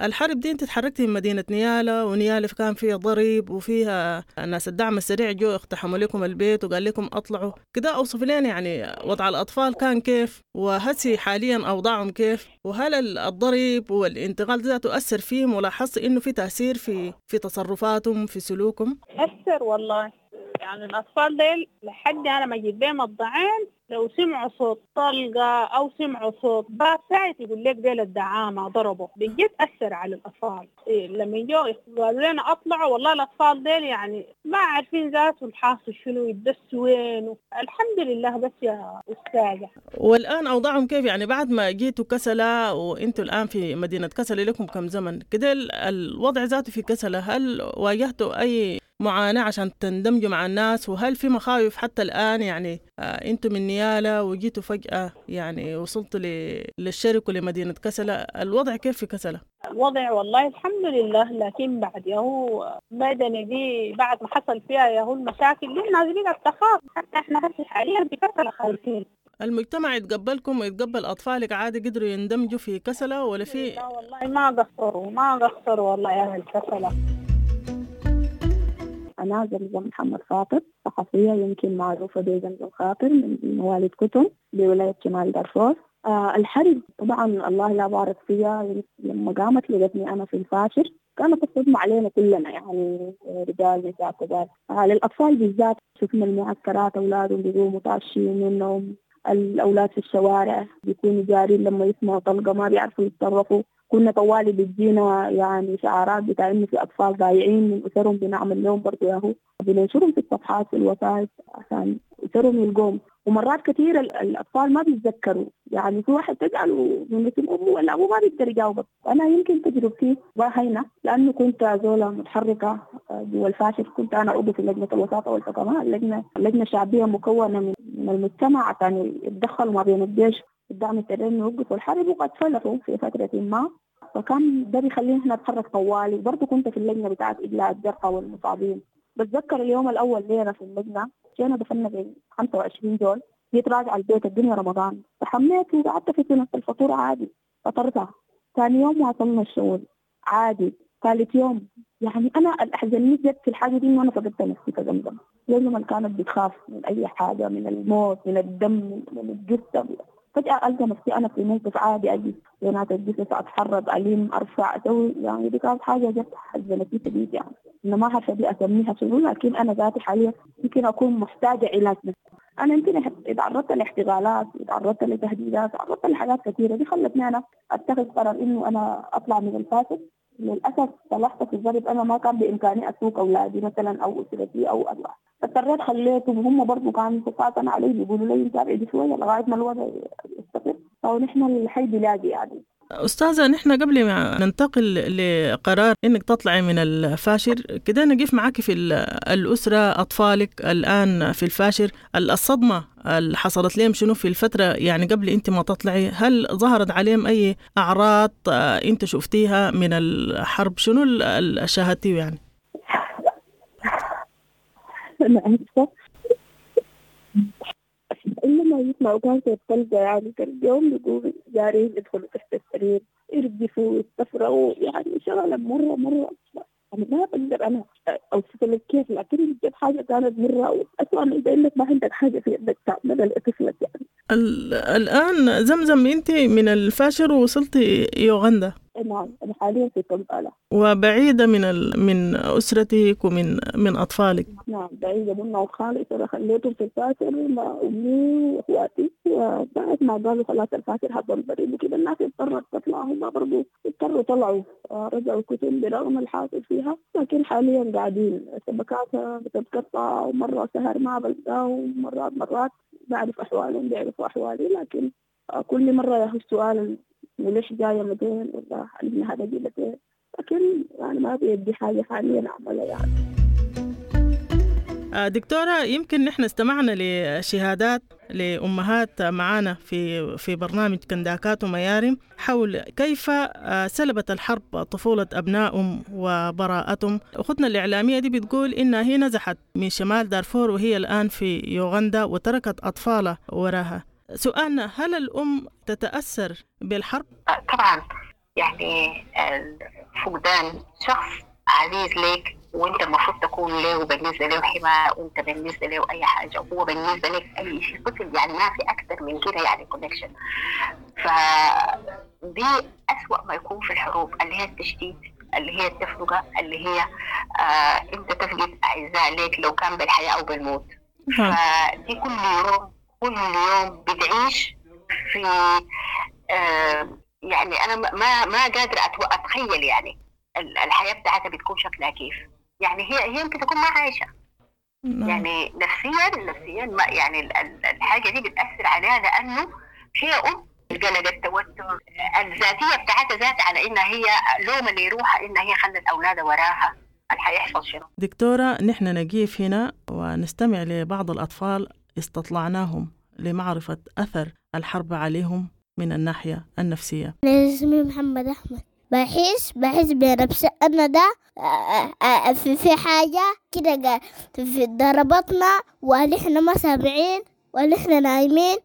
الحرب دي أنت تحركتي من مدينة نيالا، ونيالا كان فيها ضريب وفيها ناس الدعم السريع جو اقتحموا لكم البيت وقال لكم أطلعوا كده. أوصف لنا يعني وضع الأطفال كان كيف، وهسي حاليا أوضاعهم كيف، وهل الضريب والانتقال ذاته أثر فيهم، ولاحظت إنه في تأثير في تصرفاتهم في سلوكهم؟ أثر والله، يعني الأطفال ديل لحد أنا ما جيت بهم الضعين لو سمعوا صوت طلقة أو سمعوا صوت باب ساعة يقول لك ديل الدعامة ضربوا. بجد أثر على الأطفال. إيه لما يجوا قالوا لنا أطلعوا، والله الأطفال ديل يعني ما عارفين ذاته الحاصل شنو، يدسوا وين. الحمد لله بس يا أستاذة. والآن أوضاعهم كيف يعني بعد ما جيتوا كسلة، وأنتوا الآن في مدينة كسلة لكم كم زمن كده، الوضع ذاته في كسلة هل واجهتوا أي معاناة عشان تندمجوا مع الناس، وهل في مخاوف حتى الآن؟ يعني أنتم من نيالا وجيتوا فجأة يعني وصلتوا للشرق ولمدينة كسلة، الوضع كيف في كسلة؟ الوضع والله الحمد لله، لكن بعد يهو مدني دي بعد ما حصل فيها يهو المشاكل دي الناس بقت تخاف، حتى احنا حاليا في كسلة خايفين. المجتمع يتقبلكم ويتقبل أطفالك عادي، قدروا يندمجوا في كسلة ولا في؟ لا والله ما قصروا، ما قصروا والله يا أهل كسلة. أنا زمزم محمد خاطر، صحفية يمكن معروفة بزمزم خاطر، من مواليد كتم بولاية شمال دارفور. الحرب طبعا الله لا بارك فيها، لما قامت لقتني أنا في الفاشر كانت الصدمة علينا كلنا، يعني رجال نساء كبار. للأطفال بالذات شفنا المعسكرات أولادهم بيقوموا طاشين منهم، الأولاد في الشوارع بيكونوا جارين لما يسمعوا طلقة ما بيعرفوا يتصرفوا. كنا طوالي بتجينا يعني شعارات بتاع إنه في أطفال ضايعين من أسرهم، بنعمل لهم برضه ياهو بننشرهم في الصفحات في الوسائل عشان أسرهم يلقوهم. ومرات كثيرة الأطفال ما بيتذكروا، يعني في واحد تسأله من اسم أمه ولا أبوه ما بيقدر يجاوبك. أنا يمكن تجربتي هينة لأنه كنت زولة متحركة جوا الفاشر، كنت أنا عضو في لجنة الوساطة والحكماء، اللجنة الشعبية مكونة من المجتمع عشان يتدخلوا ما بين الجيش الدعم السريع يوقفوا الحرب، وقد فلتوا في فترة ما، فكان ده بيخلينا نتحرك طوالي. برضه كنت في اللجنة بتاعت إجلاء الجرحى والمصابين. بتذكر اليوم الأول لينا في اللجنة جينا دخلنا ب 25 دول، جيت راجعة البيت الدنيا رمضان، فحميت وقعدت في سنة الفطور عادي، فطرتها. ثاني يوم واصلنا الشغل عادي، ثالث يوم يعني أنا الأحزنية جت في الحاجة دي إنه أنا فقدت نفسي كزمزم. زمزم كانت بتخاف من أي حاجة، من الموت، من الدم، من الجثة. فجأة ألقى نفسي أنا في موقف عادي، أجي بنات الجثث، أتحرك، ألم، أرفع، أسوي، يعني دي كانت حاجة جت حزنتني شديد، يعني إنه ما عارفة دي أسميها شنو، لكن أنا ذاتي حاليا يمكن أكون محتاجة علاج نفسي. أنا يمكن تعرضت لاحتغالات، تعرضت لتهديدات، تعرضت لحاجات كثيرة، دي خلتني أنا أتخذ قرار إنه أنا أطلع من الفاسد. للأسف طلعت في الضرب، أنا ما كان بإمكاني أسوق أولادي مثلا أو أسرتي أو أطلع، اضطريت خليتهم، وهم برضه كانوا ثقافة علي بيقولوا لي انت ابعدي شوية لغاية ما الوضع يستقر، فنحن الحي بلادي يعني. أستاذة، نحن قبل ما ننتقل لقرار إنك تطلعي من الفاشر كده نقف معاك في الأسرة، أطفالك الآن في الفاشر، الصدمة اللي حصلت لهم شنو في الفترة يعني قبل أنت ما تطلعي؟ هل ظهرت عليهم أي أعراض أنت شفتيها من الحرب؟ شنو اللي شاهدتيه يعني؟ أنا آسفة، إلا ما يسمعوا كان الطلقة يعني كان اليوم بيقولوا جارين يدخلوا تحت السرير يرجفوا يستفرغوا، يعني شغلة مرة مرة يعني ما بقدر أنا أوصف لك كيف، لكن بجد حاجة كانت مرة وأسوأ من إنك ما عندك حاجة في يدك تعملها لطفلك يعني. الآن زمزم أنت من الفاشر ووصلتي يوغندا. نعم، أنا حاليا في كمبالا، وبعيدة من أسرتك ومن من أطفالك. نعم بعيدة منهم خالص، أنا خليتهم في الفاشر مع أمي وأخواتي، وبعد ما قالوا خلاص الفاشر هتنضرب وكده الناس اضطرت تطلع، هم برضو اضطروا طلعوا رجعوا كتب برغم الحاصل فيها، لكن حاليا قاعدين شبكاتها بتتقطع، ومرة سهر ما بلقاهم، مرات بعرف أحوالهم بيعرفوا أحوالي، لكن كل مرة ياخذ السؤال مليش جاية متين ولا هذا متين، لكن يعني ما بيدي حاجة حاليا أعملها يعني. دكتورة، يمكن نحن استمعنا لشهادات لأمهات معانا في برنامج كنداكات وميارم حول كيف سلبت الحرب طفولة أبنائهم وبراءتهم. أختنا الإعلامية دي بتقول إنها هي نزحت من شمال دارفور وهي الآن في يوغندا وتركت أطفالها وراها. سؤالنا، هل الأم تتأثر بالحرب؟ طبعا، يعني فقدان شخص عزيز لك وانت المفروض تكون له بالنسبه له حمايه، وانت بالنسبه له اي حاجه، وهو بالنسبه لك اي شيء، طفل يعني ما في اكثر من كده يعني connection. فدي اسوأ ما يكون في الحروب، اللي هي التشتيت، اللي هي التفرقه، اللي هي انت تفقد اعزاء لك لو كان بالحياه او بالموت. فدي كل يوم كل يوم بتعيش في يعني انا ما قادره اتخيل يعني الحياه بتاعتها بتكون شكلها كيف. يعني هي يمكن تكون ما عايشه. يعني نفسيا ما يعني الحاجه دي بتاثر عليها، لانه هي ام، القلق، التوتر، الذاتيه بتاعتها ذات على انها هي لومه لروحها انها هي خلت اولادها وراها، حيحصل شنو. دكتوره، نحن نقيف هنا ونستمع لبعض الاطفال استطلعناهم لمعرفه اثر الحرب عليهم من الناحيه النفسيه. اسمي محمد احمد. بحس بنفسي أنا ده في حاجة كده في ضربتنا ونحن ما سامعين ونحن نايمين،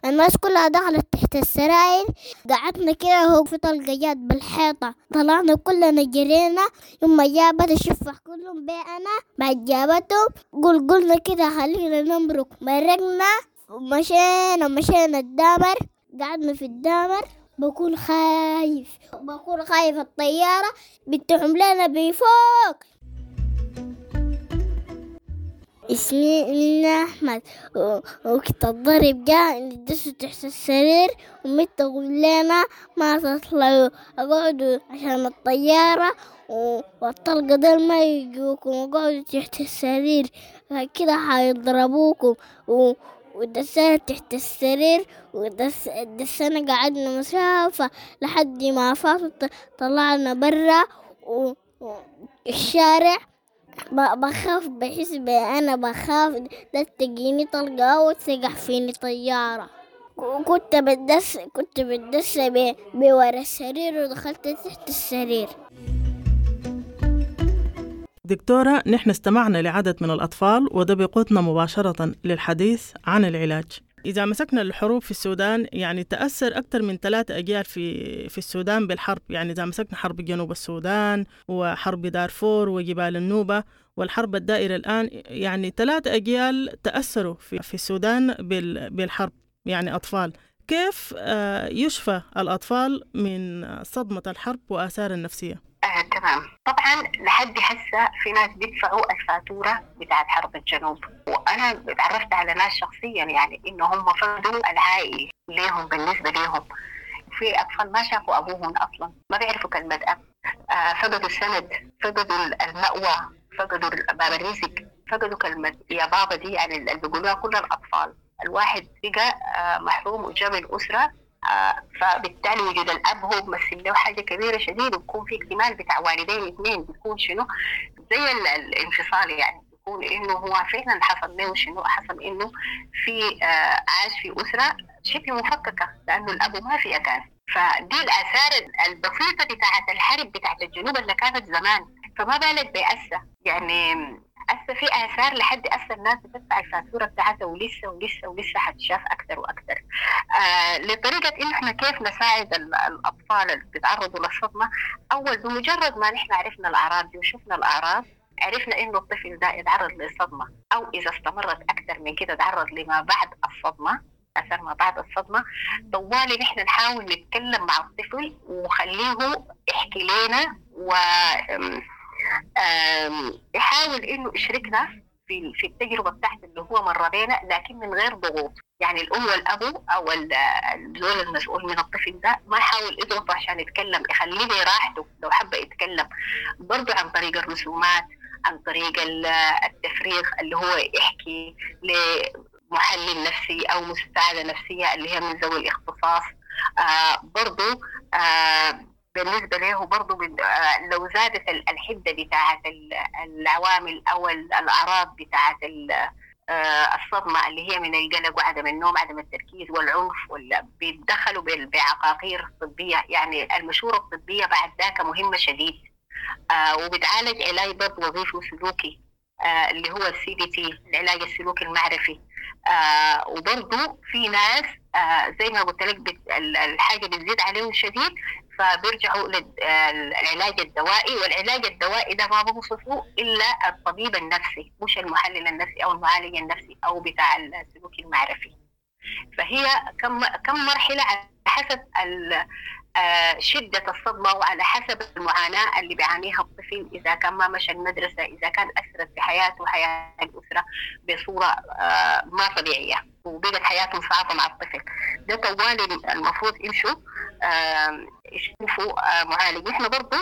الناس كلها دخلت تحت السراير، قعدنا كده هو في طلقة جات بالحيطة، طلعنا كلنا جرينا، يوم جابت الشفح كلهم بيئنا، بعد جابتهم قلنا كده خلينا نمرق، مرقنا ومشينا الدامر، قعدنا في الدامر. بكون خايف الطيارة بتحملنا لنا بفوق. اسمي منى أحمد، وكنت الضرب جاء ندسوا تحت السرير، ومت تقول لنا ما تطلعوا، اقعدوا عشان الطيارة والطلقة دول ما يجوكم، اقعدوا تحت السرير كده حيضربوكم. ودسنا تحت السرير ودسنا، قعدنا مسافة لحد ما فاتت، طلعنا برا الشارع. بخاف، بحس أنا بخاف ده تجيني طلقة أو تسقح فيني طيارة. كنت بتدس بورا السرير ودخلت تحت السرير. دكتورة، نحن استمعنا لعدد من الأطفال وده بيقودنا مباشرة للحديث عن العلاج. إذا مسكنا الحروب في السودان، يعني تأثر أكثر من 3 أجيال في السودان بالحرب. يعني إذا مسكنا حرب جنوب السودان وحرب دارفور وجبال النوبة والحرب الدائرة الآن، يعني 3 أجيال تأثروا في السودان بالحرب، يعني أطفال. كيف يشفى الأطفال من صدمة الحرب وآثار النفسية؟ تمام. طبعا لحد هسه في ناس بيدفعوا الفاتورة بتاعت حرب الجنوب، وأنا تعرفت على ناس شخصيا يعني إنه هم فقدوا العائلة ليهم، بالنسبة ليهم في أطفال ما شافوا أبوهم أصلا، ما بيعرفوا كلمة أب، فقدوا السند، فقدوا المأوى، فقدوا باب الرزق، فقدوا كلمة يا بابا دي، يعني اللي بيقولوها كل الأطفال. الواحد بقى محروم وجاب الأسرة، فبالتالي وجود الأب هو بيمثل له حاجة كبيرة شديد، وبكون في اكتمال بتاع والدين 2، بيكون شنو زي الانفصال، يعني بيكون إنه هو فعلا حصل له شنو، حصل إنه في عاش في أسرة شبه مفككة لأنه الأب ما في أكان. فدي الآثار البسيطة بتاعة الحرب بتاعة الجنوب اللي كانت زمان، فما بالك بأسة. يعني أسا في آثار لحد أسا الناس بتدفع الفاتورة بتاعتها، ولسه ولسه ولسه حتشاف أكثر وأكثر. لطريقة إن إحنا كيف نساعد الأطفال اللي بيتعرضوا للصدمة. أول بمجرد ما نحن عرفنا الأعراض دي وشفنا الأعراض، عرفنا إنه الطفل ده يتعرض للصدمة، أو إذا استمرت أكثر من كده تعرض لما بعد الصدمة، أثر ما بعد الصدمة. طوالي نحن نحاول نتكلم مع الطفل وخليه يحكي لنا، و يحاول انه يشركنا في التجربه بتاعته اللي هو مر بينا، لكن من غير ضغوط. يعني الام والابو او الزول المسؤول من الطفل ده ما يحاول يضغطه عشان يتكلم، يخليه براحته لو حب يتكلم، برضه عن طريق الرسومات، عن طريق التفريغ اللي هو يحكي لمحلل نفسي او مساعده نفسيه اللي هي من ذوي الاختصاص. برضو بالنسبة له برضو لو زادت الحدة بتاعة العوامل أو الأعراض بتاعة الصدمة اللي هي من القلق وعدم النوم، عدم التركيز والعنف، بيتدخلوا بعقاقير طبية. يعني المشورة الطبية بعد ذاك مهمة شديد، وبتعالج علاج برضو وظيفي وسلوكي اللي هو CBT، العلاج السلوكي المعرفي. وبرضو في ناس زي ما قلت لك الحاجة بتزيد عليهم شديد، فبيرجعوا للعلاج الدوائي. والعلاج الدوائي ده ما بوصفه إلا الطبيب النفسي، مش المحلل النفسي أو المعالج النفسي أو بتاع السلوك المعرفي. فهي كم مرحلة على حسب شدة الصدمة وعلى حسب المعاناة اللي بيعانيها الطفل، إذا كان ما مشى المدرسة، إذا كان أثرت في حياته وحياة الأسرة بصورة ما طبيعية وبقت حياتهم صعبة مع الطفل ده، طوالي المفروض يمشوا يشوفوا معالج. نحن برضو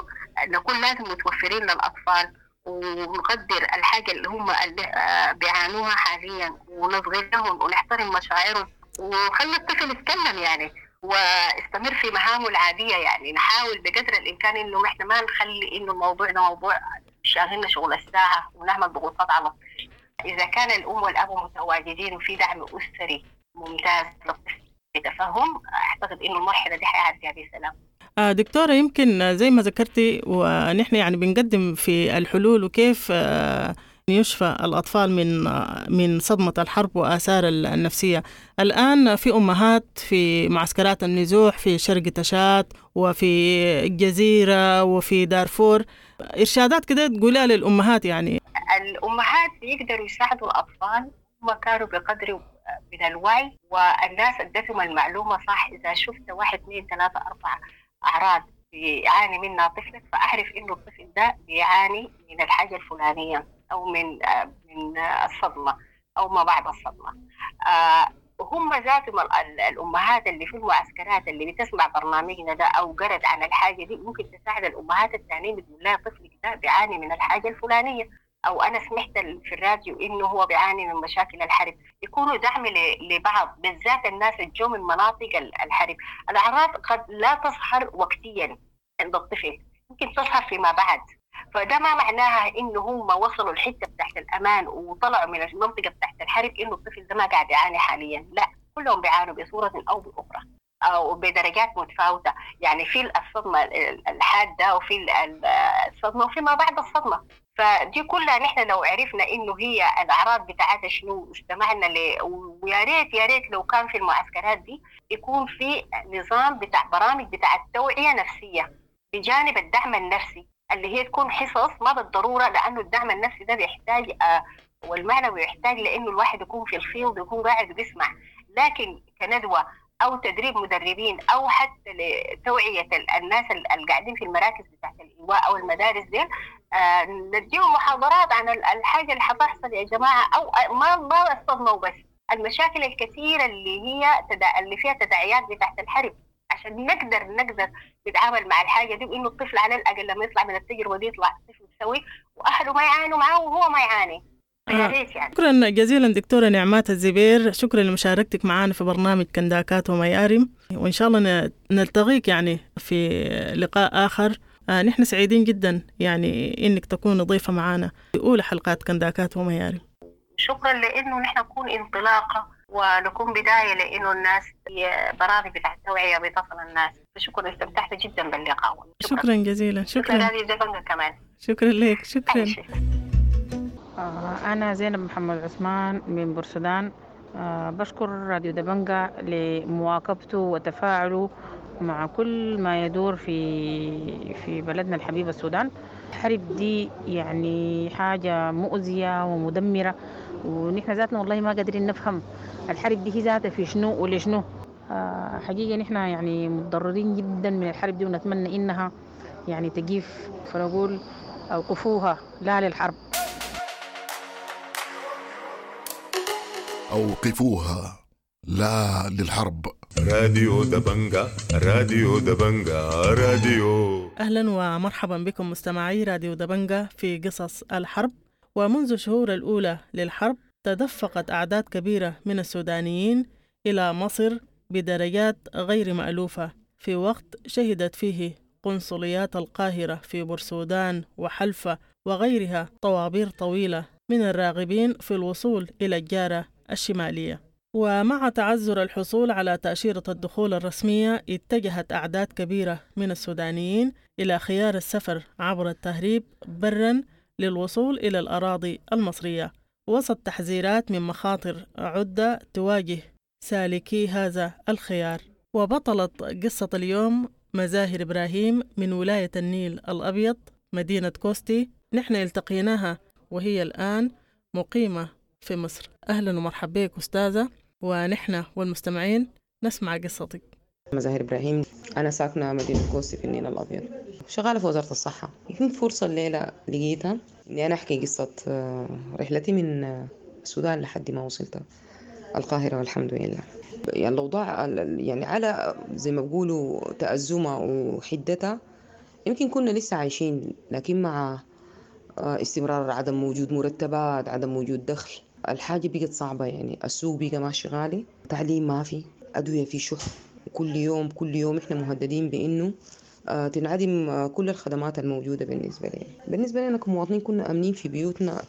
نكون لازم متوفرين للأطفال ونقدر الحاجة اللي هم اللي بيعانوها حاليا، ونصغر لهم ونحترم مشاعرهم ونخلي الطفل يتكلم يعني، واستمر في مهامه العادية. يعني نحاول بقدر الإمكان إنه إحنا ما نخلي إنه الموضوع ده موضوع شاغلنا شغل الساعة ونعمل ضغوطات على الطفل. إذا كان الأم والأب متواجدين وفي دعم أسري ممتاز للطفل بتفهم، أعتقد إنه المرحلة دي حيعديها بسلام. دكتورة، يمكن زي ما ذكرتي ونحن يعني بنقدم في الحلول وكيف يشفى الأطفال من صدمة الحرب وآثار النفسية. الآن في أمهات في معسكرات النزوح في شرق تشاد وفي الجزيرة وفي دارفور، إرشادات كده تقولها للأمهات؟ يعني الأمهات بيقدروا يساعدوا الأطفال، هم كانوا بقدر من الوعي والناس ادتهم المعلومة صح. إذا شفت 1 2 3 4 أعراض بيعاني منها طفلك، فأعرف إنه الطفل ده بيعاني من الحاجة الفلانية أو من الصدمة أو ما بعد الصدمة. هم ذاتهم الأمهات اللي في المعسكرات اللي بتسمع برنامجنا ده أو قرت عن الحاجة دي، ممكن تساعد الأمهات الثانيين، بتقول لها طفلك ده بيعاني من الحاجة الفلانية، أو أنا سمعت في الراديو إنه هو بيعاني من مشاكل الحرب. يكونوا دعم لبعض، بالذات الناس الجو من مناطق الحرب. الأعراض قد لا تظهر وقتيا عند الطفل، ممكن تظهر فيما بعد، فده ما معناها إنه هم وصلوا الحتة بتاعت الأمان وطلعوا من المنطقة بتاعت الحرب إنه الطفل ده ما قاعد يعاني حاليا. لا، كلهم بيعانوا بصورة أو بأخرى أو بدرجات متفاوتة. يعني في الصدمة الحادة وفي الصدمة وفي ما بعد الصدمة. فدي كلها نحن لو عرفنا إنه هي الأعراض بتاعتها شنو، واستمعنا ويا ريت يا ريت لو كان في المعسكرات دي يكون في نظام بتاع برامج بتاع التوعية نفسية بجانب الدعم النفسي، اللي هي تكون حصص ما بالضرورة، لأنه الدعم النفسي ده بيحتاج والمعنوي يحتاج لأنه الواحد يكون في الفيلد ويكون قاعد وبيسمع. لكن كندوة أو تدريب مدربين أو حتى لتوعية الناس اللي قاعدين في المراكز بتاعت الإيواء أو المدارس دي، نديهم محاضرات عن الحاجة اللي حتحصل يا جماعة، أو ما الصدمة وبس، المشاكل الكثيرة اللي هي اللي فيها تداعيات بتاعت الحرب، عشان نقدر نتعامل مع الحاجة دي، وإنه الطفل على الأقل لما يطلع من التجربة دي يطلع طفل سوي وأهله ما يعانوا معاه وهو ما يعاني. يعني. شكرا جزيلا دكتورة نعمات الزبير، شكرا لمشاركتك معنا في برنامج كنداكات وميارم، وإن شاء الله نلتقيك يعني في لقاء آخر. نحن سعيدين جدا يعني إنك تكون ضيفة معنا في أولى حلقات كنداكات وميارم. شكرا لأنه نحن نكون انطلاقة ونكون بداية لأنه الناس برامج بتاع التوعية بتصل الناس. شكرا، استمتعت جدا باللقاء. شكرا جزيلا. شكرا كمان. شكرا لك. شكرا. أنا زينب محمد عثمان من بورسودان. بشكر راديو دبنجة لمواكبته وتفاعله مع كل ما يدور في بلدنا الحبيب السودان. الحرب دي يعني حاجة مؤذية ومدمرة، ونحن ذاتنا والله ما قادرين نفهم الحرب دي هي ذاتها في شنو ولشنو. حقيقة نحن يعني متضررين جدا من الحرب دي، ونتمنى إنها يعني تقيف، فنقول أوقفوها، لا للحرب. أوقفوها، لا للحرب. راديو دبنجة، راديو دبنجة، راديو. أهلا ومرحبا بكم مستمعي راديو دبنجة في قصص الحرب. ومنذ شهور الأولى للحرب تدفقت أعداد كبيرة من السودانيين إلى مصر بدرجات غير مألوفة. في وقت شهدت فيه قنصليات القاهرة في بورسودان وحلفة وغيرها طوابير طويلة من الراغبين في الوصول إلى الجارة الشمالية. ومع تعذر الحصول على تأشيرة الدخول الرسمية، اتجهت أعداد كبيرة من السودانيين إلى خيار السفر عبر التهريب برا للوصول إلى الأراضي المصرية، وسط تحذيرات من مخاطر عدة تواجه سالكي هذا الخيار. وبطلت قصة اليوم مزاهر إبراهيم من ولاية النيل الأبيض، مدينة كوستي. نحن التقيناها وهي الآن مقيمة في مصر. أهلا ومرحبا بك أستاذة، ونحن والمستمعين نسمع قصتك. مزاهر إبراهيم، أنا ساكنة مدينة كوستي في النيل الأبيض، شغالة في وزارة الصحة. يمكن فرصة الليلة لقيتها إني أنا أحكي قصة رحلتي من السودان لحد ما وصلت القاهرة والحمد لله. يعني الأوضاع يعني على زي ما بيقولوا تأزمها وحدتها، يمكن كنا لسه عايشين، لكن مع استمرار عدم وجود مرتبات، عدم وجود دخل، الحاجة بقت صعبة. يعني السوق بقى ماشي غالي، تعليم ما في، أدوية في شح، كل يوم كل يوم إحنا مهددين بإنه تنعدم كل الخدمات الموجودة بالنسبة لنا. بالنسبة لنا كمواطنين كنا آمنين في بيوتنا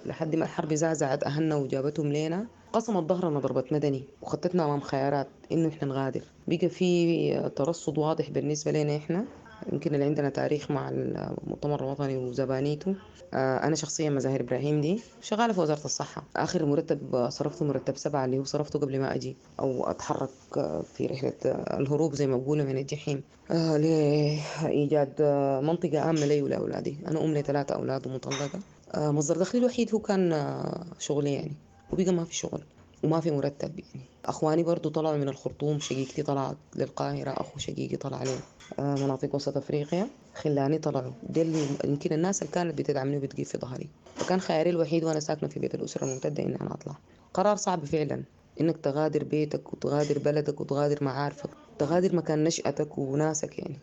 لحد ما الحرب زعزعت أهلنا وجابتهم لنا، قصمت ظهرنا ضربة مدني وخطتنا أمام خيارات إنه إحنا نغادر. بقى في ترصد واضح بالنسبة لنا إحنا، يمكن اللي عندنا تاريخ مع المؤتمر الوطني وزبانيته. أنا شخصيا مزاهر إبراهيم دي شغالة في وزارة الصحة، آخر مرتب صرفته مرتب 7 اللي هو صرفته قبل ما أجي أو أتحرك في رحلة الهروب زي ما بقولوا من الجحيم، لإيجاد منطقة آمنة لي ولأولادي. أنا أم ل3 أولاد ومطلقة. مصدر دخلي الوحيد هو كان شغلي يعني، وبقى ما في شغل وما في مرتب يعني. أخواني برضو طلعوا من الخرطوم، شقيقتي طلعت للقاهرة، أخو شقيقي طلع لي مناطق وسط أفريقيا، خلاني طلعوا. دي يمكن الناس اللي كانت بتدعمني وبتقيف في ظهري. فكان خياري الوحيد وأنا ساكنة في بيت الأسرة الممتدة إن أنا أطلع. قرار صعب فعلا إنك تغادر بيتك وتغادر بلدك وتغادر معارفك، تغادر مكان نشأتك وناسك يعني.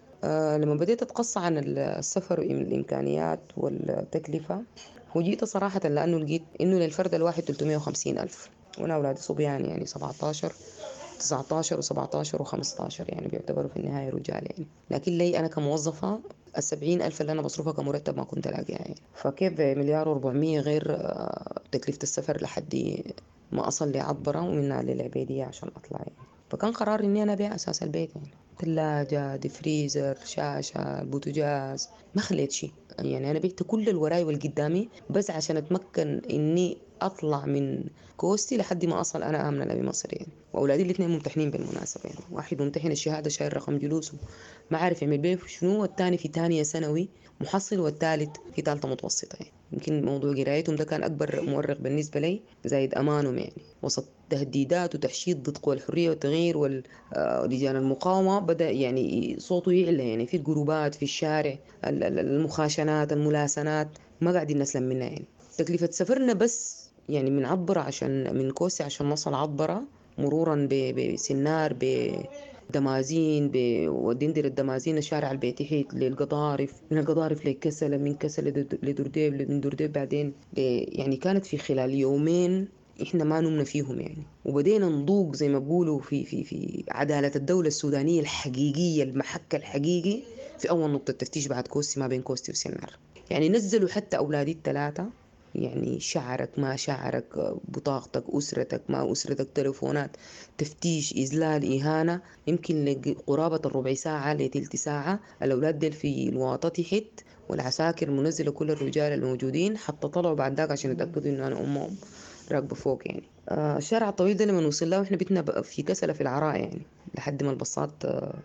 لما بديت أتقصى عن السفر والإمكانيات والتكلفة، وجيت صراحة لأنه لقيت إنه للفرد الواحد 350 ألف، وأنا أولادي صبيان يعني 17 19 و17 و15 يعني بيعتبروا في النهاية رجال يعني. لكن لي أنا كموظفة 70 ألف اللي أنا بصرفها كمرتب ما كنت ألاقيها يعني. فكيف 1,400,000,000 غير تكلفة السفر لحد ما أصل لعبرة ومنها للعبيدية عشان أطلع يعني. فكان قرار إني أنا أبيع أساس البيت يعني، ثلاجة، دي فريزر، شاشة، بوتاجاز، ما خليت شيء يعني. أنا بعت كل الوراي والقدامي بس عشان أتمكن إني أطلع من كوستي لحد ما أصل أنا آمنة لأبي مصر يعني. وأولادي الاثنين ممتحنين بالمناسبة يعني، واحد ممتحن الشهادة شايل رقم جلوسه ما عارف يعمل بيه شنو، والثاني في ثانية ثانوي محصل، والثالث في ثالثة متوسطة يعني. يمكن موضوع قرايتهم ده كان أكبر مؤرق بالنسبة لي، زايد أمانهم يعني وسط تهديدات وتحشيد ضد قوى الحرية والتغيير ولجان المقاومة. بدأ يعني صوته يعلى يعني في الجروبات في الشارع، المخاشنات، الملاسنات، ما قاعدين نسلم منها يعني. تكلفة سفرنا بس يعني من عبرة عشان من كوسي عشان نصل عبرة، مرورا بسنار، بدمازين، ودندر الدمازين الشارع البيتحيت للقضارف، من القضارف لكسلة، من كسلة لدرديب، من درديب بعدين يعني كانت في خلال يومين احنا ما نمنا فيهم يعني. وبدينا نضوق زي ما بيقولوا في في في عدالة الدولة السودانية الحقيقية، المحك الحقيقي في أول نقطة تفتيش بعد كوستي، ما بين كوستي وسنار يعني. نزلوا حتى أولادي الثلاثة يعني، شعرك ما شعرك، بطاقتك، أسرتك ما أسرتك، تلفونات، تفتيش، إذلال، إهانة. يمكن قرابة الربع ساعة لتلت ساعة الأولاد ديل في الواطة تحت، والعساكر منزلة كل الرجال الموجودين حتى طلعوا بعد ذاك عشان يتأكدوا إنه أنا أمهم راكبة فوق يعني. الشارع الطويل ده لما نوصل له واحنا بيتنا في كسلة في العراء يعني، لحد ما الباصات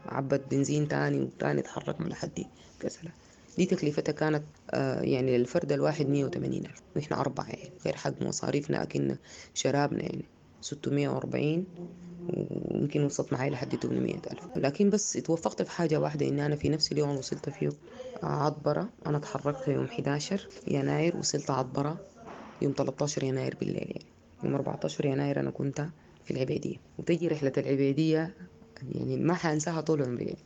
عبت بنزين تاني وتاني تحركنا لحد كسلة. دي تكلفتها كانت يعني للفرد الواحد 180 ألف، وإحنا 4 يعني، غير حق مصاريفنا، أكلنا، شرابنا يعني 640، ويمكن وصلت معي لحد 800 ألف. لكن بس اتوفقت في حاجة واحدة، إن أنا في نفس اليوم وصلت فيه عطبرة. أنا تحركت يوم 11 يناير، وصلت عطبرة يوم 13 يناير بالليل يعني. يوم 14 يناير أنا كنت في العبيدية. وتجي رحلة العبيدية يعني ما حأنساها طول عمري يعني.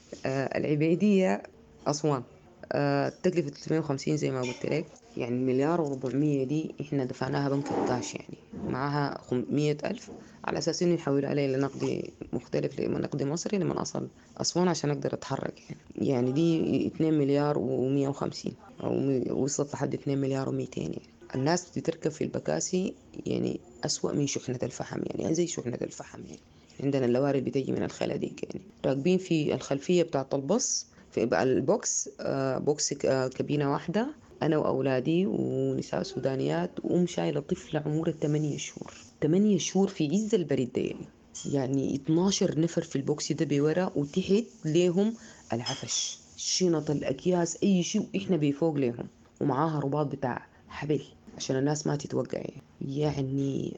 العبيدية أسوان، التكلفة 350 زي ما قلت لك، يعني 1,400,000,000 دي احنا دفعناها بنك الكاش، يعني معاها 100,000 على أساس إنه يحولوا علي لنقد مختلف لنقد مصري لمن أصل أسوان عشان أقدر أتحرك. يعني دي 2,150,000,000 أو وصلت لحد 2,200,000,000. يعني الناس بتركب في البكاسي يعني أسوأ من شحنة الفحم، يعني زي شحنة الفحم، يعني عندنا اللواري اللي بتجي من الخلا ديك، يعني راكبين في الخلفية بتاعة البص في البوكس، بوكس كابينة واحدة، أنا وأولادي ونساء سودانيات، وأم شايلة طفلة عمرها 8 شهور، 8 شهور في عز البرد ده، يعني 12 نفر في البوكس ده بورا، وتحت ليهم العفش، شنط، الأكياس، أي شيء، وإحنا بفوق ليهم، ومعاها رباط بتاع حبل عشان الناس ما تتوقع. يعني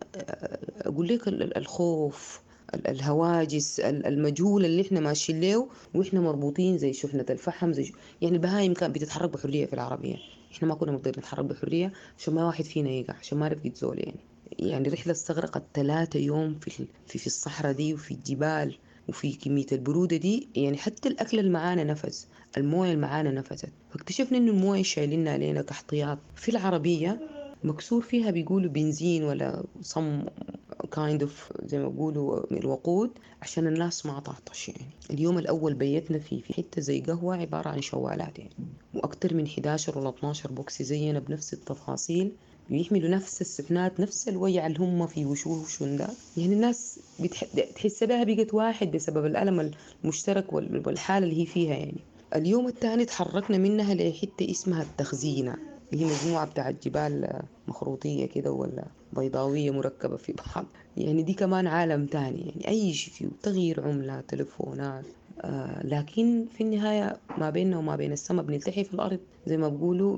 أقول لك الخوف، الهواجس، المجهول اللي احنا ماشيين له، واحنا مربوطين زي شحنة الفحم، زي يعني البهايم كانت بتتحرك بحرية في العربية، احنا ما كنا بنقدر نتحرك بحرية عشان ما واحد فينا يقع، عشان ما نفقد زول. يعني رحلة استغرقت 3 يوم في الصحراء دي وفي الجبال وفي كمية البرودة دي، يعني حتى الأكل اللي معانا نفذ، الموية اللي معانا نفذت، فاكتشفنا إنه الموية شايلينها علينا كاحتياط في العربية مكسور فيها بيقولوا بنزين ولا some kind of زي ما بيقولوا الوقود عشان الناس ما تعطش. يعني اليوم الأول بيتنا في حتة زي قهوة عبارة عن شوالات، يعني وأكتر من 11 ولا 12 بوكس زينا بنفس التفاصيل، بيحملوا نفس السفنات، نفس الوجع اللي هم في وشوشهم ده. يعني الناس تحس بها بقت واحد بسبب الألم المشترك والحالة اللي هي فيها. يعني اليوم الثاني تحركنا منها لحتة اسمها التخزينة، هي مجموعة بتاعت جبال مخروطية كده ولا بيضاوية مركبة في بعض، يعني دي كمان عالم تاني، يعني أي شيء فيه تغيير عملة، تلفونات، لكن في النهاية ما بيننا وما بين السماء بنلتحي في الأرض زي ما بيقولوا،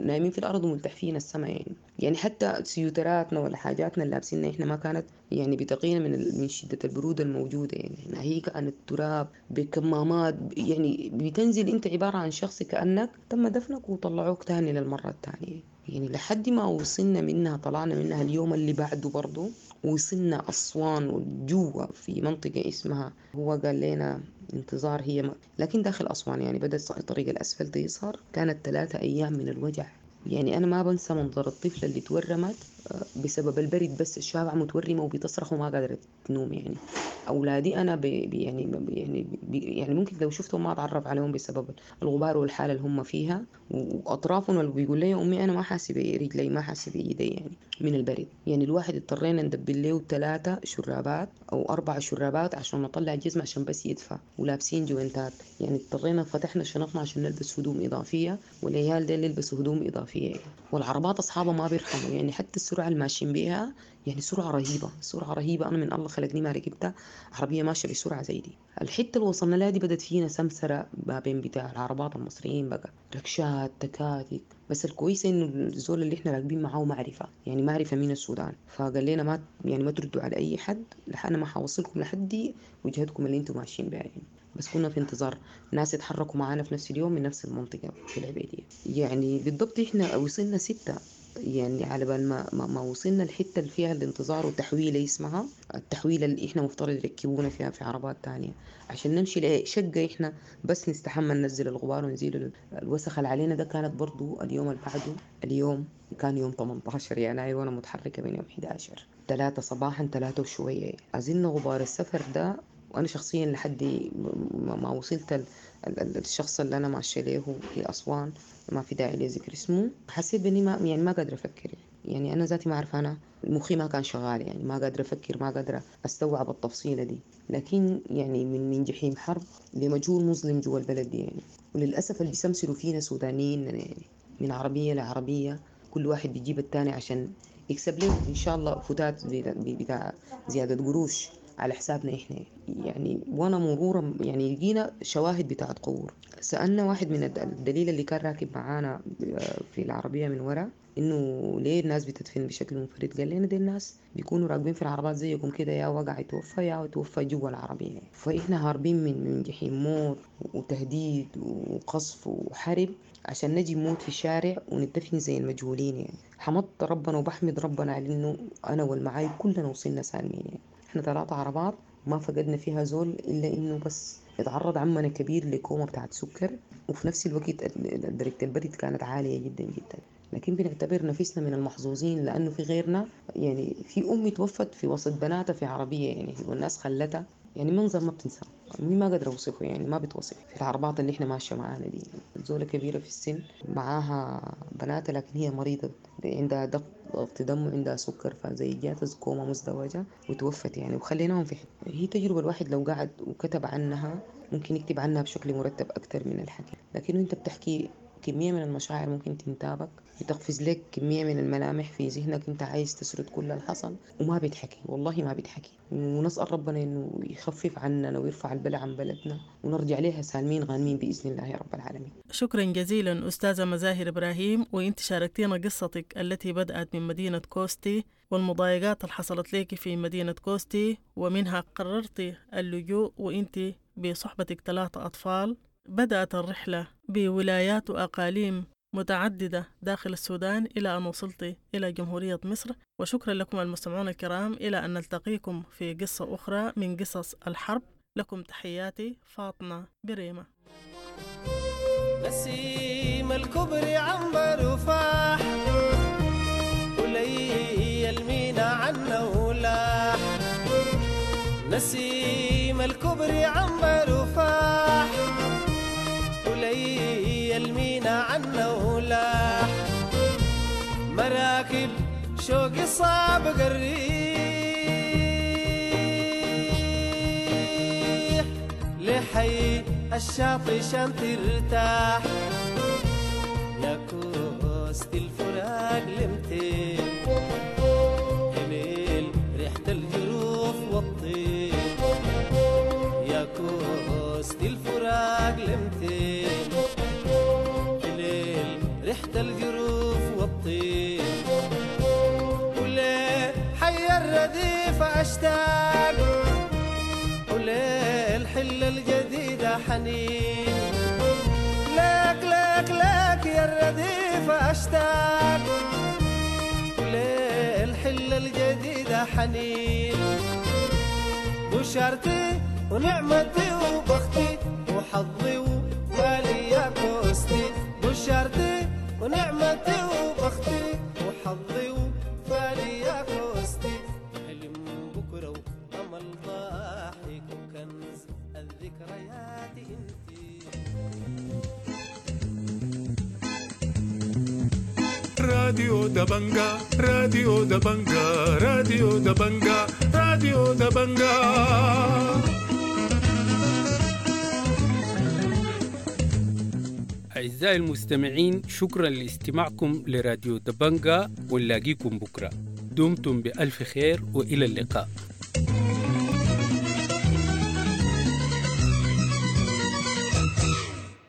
نايمين في الأرض وملتحفين السماء. يعني حتى سيوتراتنا ولا حاجاتنا اللي لابسينها إحنا ما كانت يعني بتقينا من شدة البرودة الموجودة، يعني ناهيك عن التراب بكمامات، يعني بتنزل أنت عبارة عن شخص كأنك تم دفنك وطلعوك تاني للمرة الثانية. يعني لحد ما وصلنا منها، طلعنا منها اليوم اللي بعده برضو وصلنا أسوان وجوا في منطقة اسمها، هو قال لنا انتظار هي لكن داخل أسوان، يعني بدأ طريق الأسفلت يظهر. كانت 3 أيام من الوجع، يعني أنا ما بنسى منظر الطفلة اللي تورمت بسبب البرد، بس الشابعة متورمة وبتصرخ وما قادرة تنوم. يعني أولادي أنا يعني ممكن لو شفتهم ما أتعرف عليهم بسبب الغبار والحالة اللي هم فيها، وأطرافهم اللي بيقول لي يا أمي أنا ما حاسة برجلي، ما حاسة بإيدي يعني من البرد. يعني الواحد اضطرينا ندبل له 3 شرابات أو 4 شرابات عشان نطلع الجزمة عشان بس يدفى، ولابسين جوانتات. يعني اضطرينا فتحنا شنطنا عشان نلبس هدوم إضافية، والعيال ديل يلبسوا هدوم إضافية يعني. والعربات أصحابها ما بيرحموا، يعني حتى السرعة اللي ماشيين بيها يعني سرعة رهيبة، سرعة رهيبة. أنا من الله خلقني ما ركبتها عربية ماشية بسرعة زي دي. الحتة اللي وصلنا لها دي بدت فينا سمسرة ما بين بتاع العربات المصريين بقى، ركشات، تكاتك. بس الكويس إنه الزول اللي إحنا راكبين معاه معرفة، يعني معرفة من السودان، فقال لنا ما تردوا على أي حد، أنا ما حوصلكم لحد وجهتكم اللي أنتم ماشيين بها يعني. بس كنا في انتظار ناس يتحركوا معانا في نفس اليوم من نفس المنطقة في العبيدية. يعني بالضبط إحنا وصلنا 6، يعني على بال ما وصلنا الحتة اللي فيها الانتظار وتحويلة اسمها التحويلة اللي إحنا مفترض يركبونا فيها في عربات تانية عشان نمشي لشقة إحنا بس نستحمى ننزل الغبار ونزيل الوسخ اللي علينا ده. كانت برضو اليوم اللي بعده، اليوم كان يوم 18 يناير وأنا متحركة من يوم 11 3 صباحا، 3 وشوية. عزلنا غبار السفر ده، وأنا شخصيا لحد ما وصلت الشخص اللي أنا ماشية له في أسوان، ما في داعي لذكر اسمه، حسيت بإني ما قادرة أفكر. يعني أنا ذاتي ما عارفة، أنا مخي ما كان شغال، يعني ما قادرة أفكر، ما قادرة أستوعب التفصيلة دي. لكن يعني من جحيم حرب لمجهول مظلم جوا البلد دي يعني. وللأسف اللي بيسمسروا فينا سودانيين يعني، من عربية لعربية، كل واحد بيجيب التاني عشان يكسب له إن شاء الله فتات بتاع زيادة قروش على حسابنا إحنا يعني. وأنا مرورا يعني لقينا شواهد بتاعت قبور. سألنا واحد من الدليل اللي كان راكب معانا في العربية من ورا إنه ليه الناس بتدفن بشكل منفرد، قال لنا دي الناس بيكونوا راكبين في العربات زيكم كده، يا وقع يتوفى يا توفى جوا العربية. فإحنا هاربين من جحيم موت وتهديد وقصف وحرب عشان نجي نموت في الشارع وندفن زي المجهولين يعني. حمدت ربنا وبحمد ربنا على إنه أنا والمعاي كلنا وصلنا سالمين يعني. احنا 3 عربات ما فقدنا فيها زول، إلا إنه بس اتعرض عمنا كبير لكومة بتاعت سكر، وفي نفس الوقت درجة البرد كانت عالية جدا جدا. لكن بنعتبر نفسنا من المحظوظين لأنه في غيرنا، يعني في أمي توفت في وسط بناتها في عربية يعني، والناس خلتها، يعني منظر ما بتنسى، ما قادرة أوصفه يعني، ما بتوصف. في العربات اللي احنا ماشية معانا دي زولة كبيرة في السن معاها بناتها، لكن هي مريضة عندها ضغط دم وعندها سكر، فزي جات كومة مزدوجة وتوفت يعني، وخليناهم في حتة. هي تجربة الواحد لو قعد وكتب عنها ممكن يكتب عنها بشكل مرتب أكتر من الحكي، لكن وانت بتحكي كمية من المشاعر ممكن تنتابك، بتقفز لك كمية من الملامح في ذهنك، انت عايز تسرد كل اللي حصل وما بتحكي، والله ما بتحكي. ونسأل ربنا انه يخفف عننا ويرفع البلاء عن بلدنا ونرجع لها سالمين غانمين بإذن الله يا رب العالمين. شكرا جزيلا أستاذة مزاهر إبراهيم، وانت شاركتينا قصتك التي بدأت من مدينة كوستي والمضايقات اللي حصلت لك في مدينة كوستي، ومنها قررتي اللجوء وانت بصحبتك 3 أطفال. بدأت الرحلة بولايات وأقاليم متعددة داخل السودان إلى أن وصلت إلى جمهورية مصر. وشكرا لكم المستمعون الكرام، إلى أن نلتقيكم في قصة أخرى من قصص الحرب. لكم تحياتي، فاطمة بريمة. نسيم الكبر عنبر وفاح، ولي المينا عنا ولاح. نسيم الكبر عنبر وفاح، ولي المينا عنا ولاح. مراكب شوقي صابق الريح، لحي الشاطئ شان ترتاح. يا كوست الفراق لمتين، حليل ريحة الجروف والطين. يا كوست الفراق لمتين، حليل ريحة الجروف والطين. وليه حي الرديف أشتاق، وليه الحلة الجديدة حنين. لك لك لك يا الرديف أشتاق، وليه الحلة الجديدة حنين. بشارتي ونعمتي وبختي وحظي ومالي يا كوستي. بشارتي ونعمتي وبختي وحظي ومالي يا كوستي. حلم بكرة وأمل ضاحك وكنز الذكريات انتي. راديو دبنجا، راديو دبنجا، راديو دبنجا، راديو دبنجا. أعزائي المستمعين، شكرا لاستماعكم لراديو دبنجا، ونلاقيكم بكرة. دمتم بألف خير وإلى اللقاء.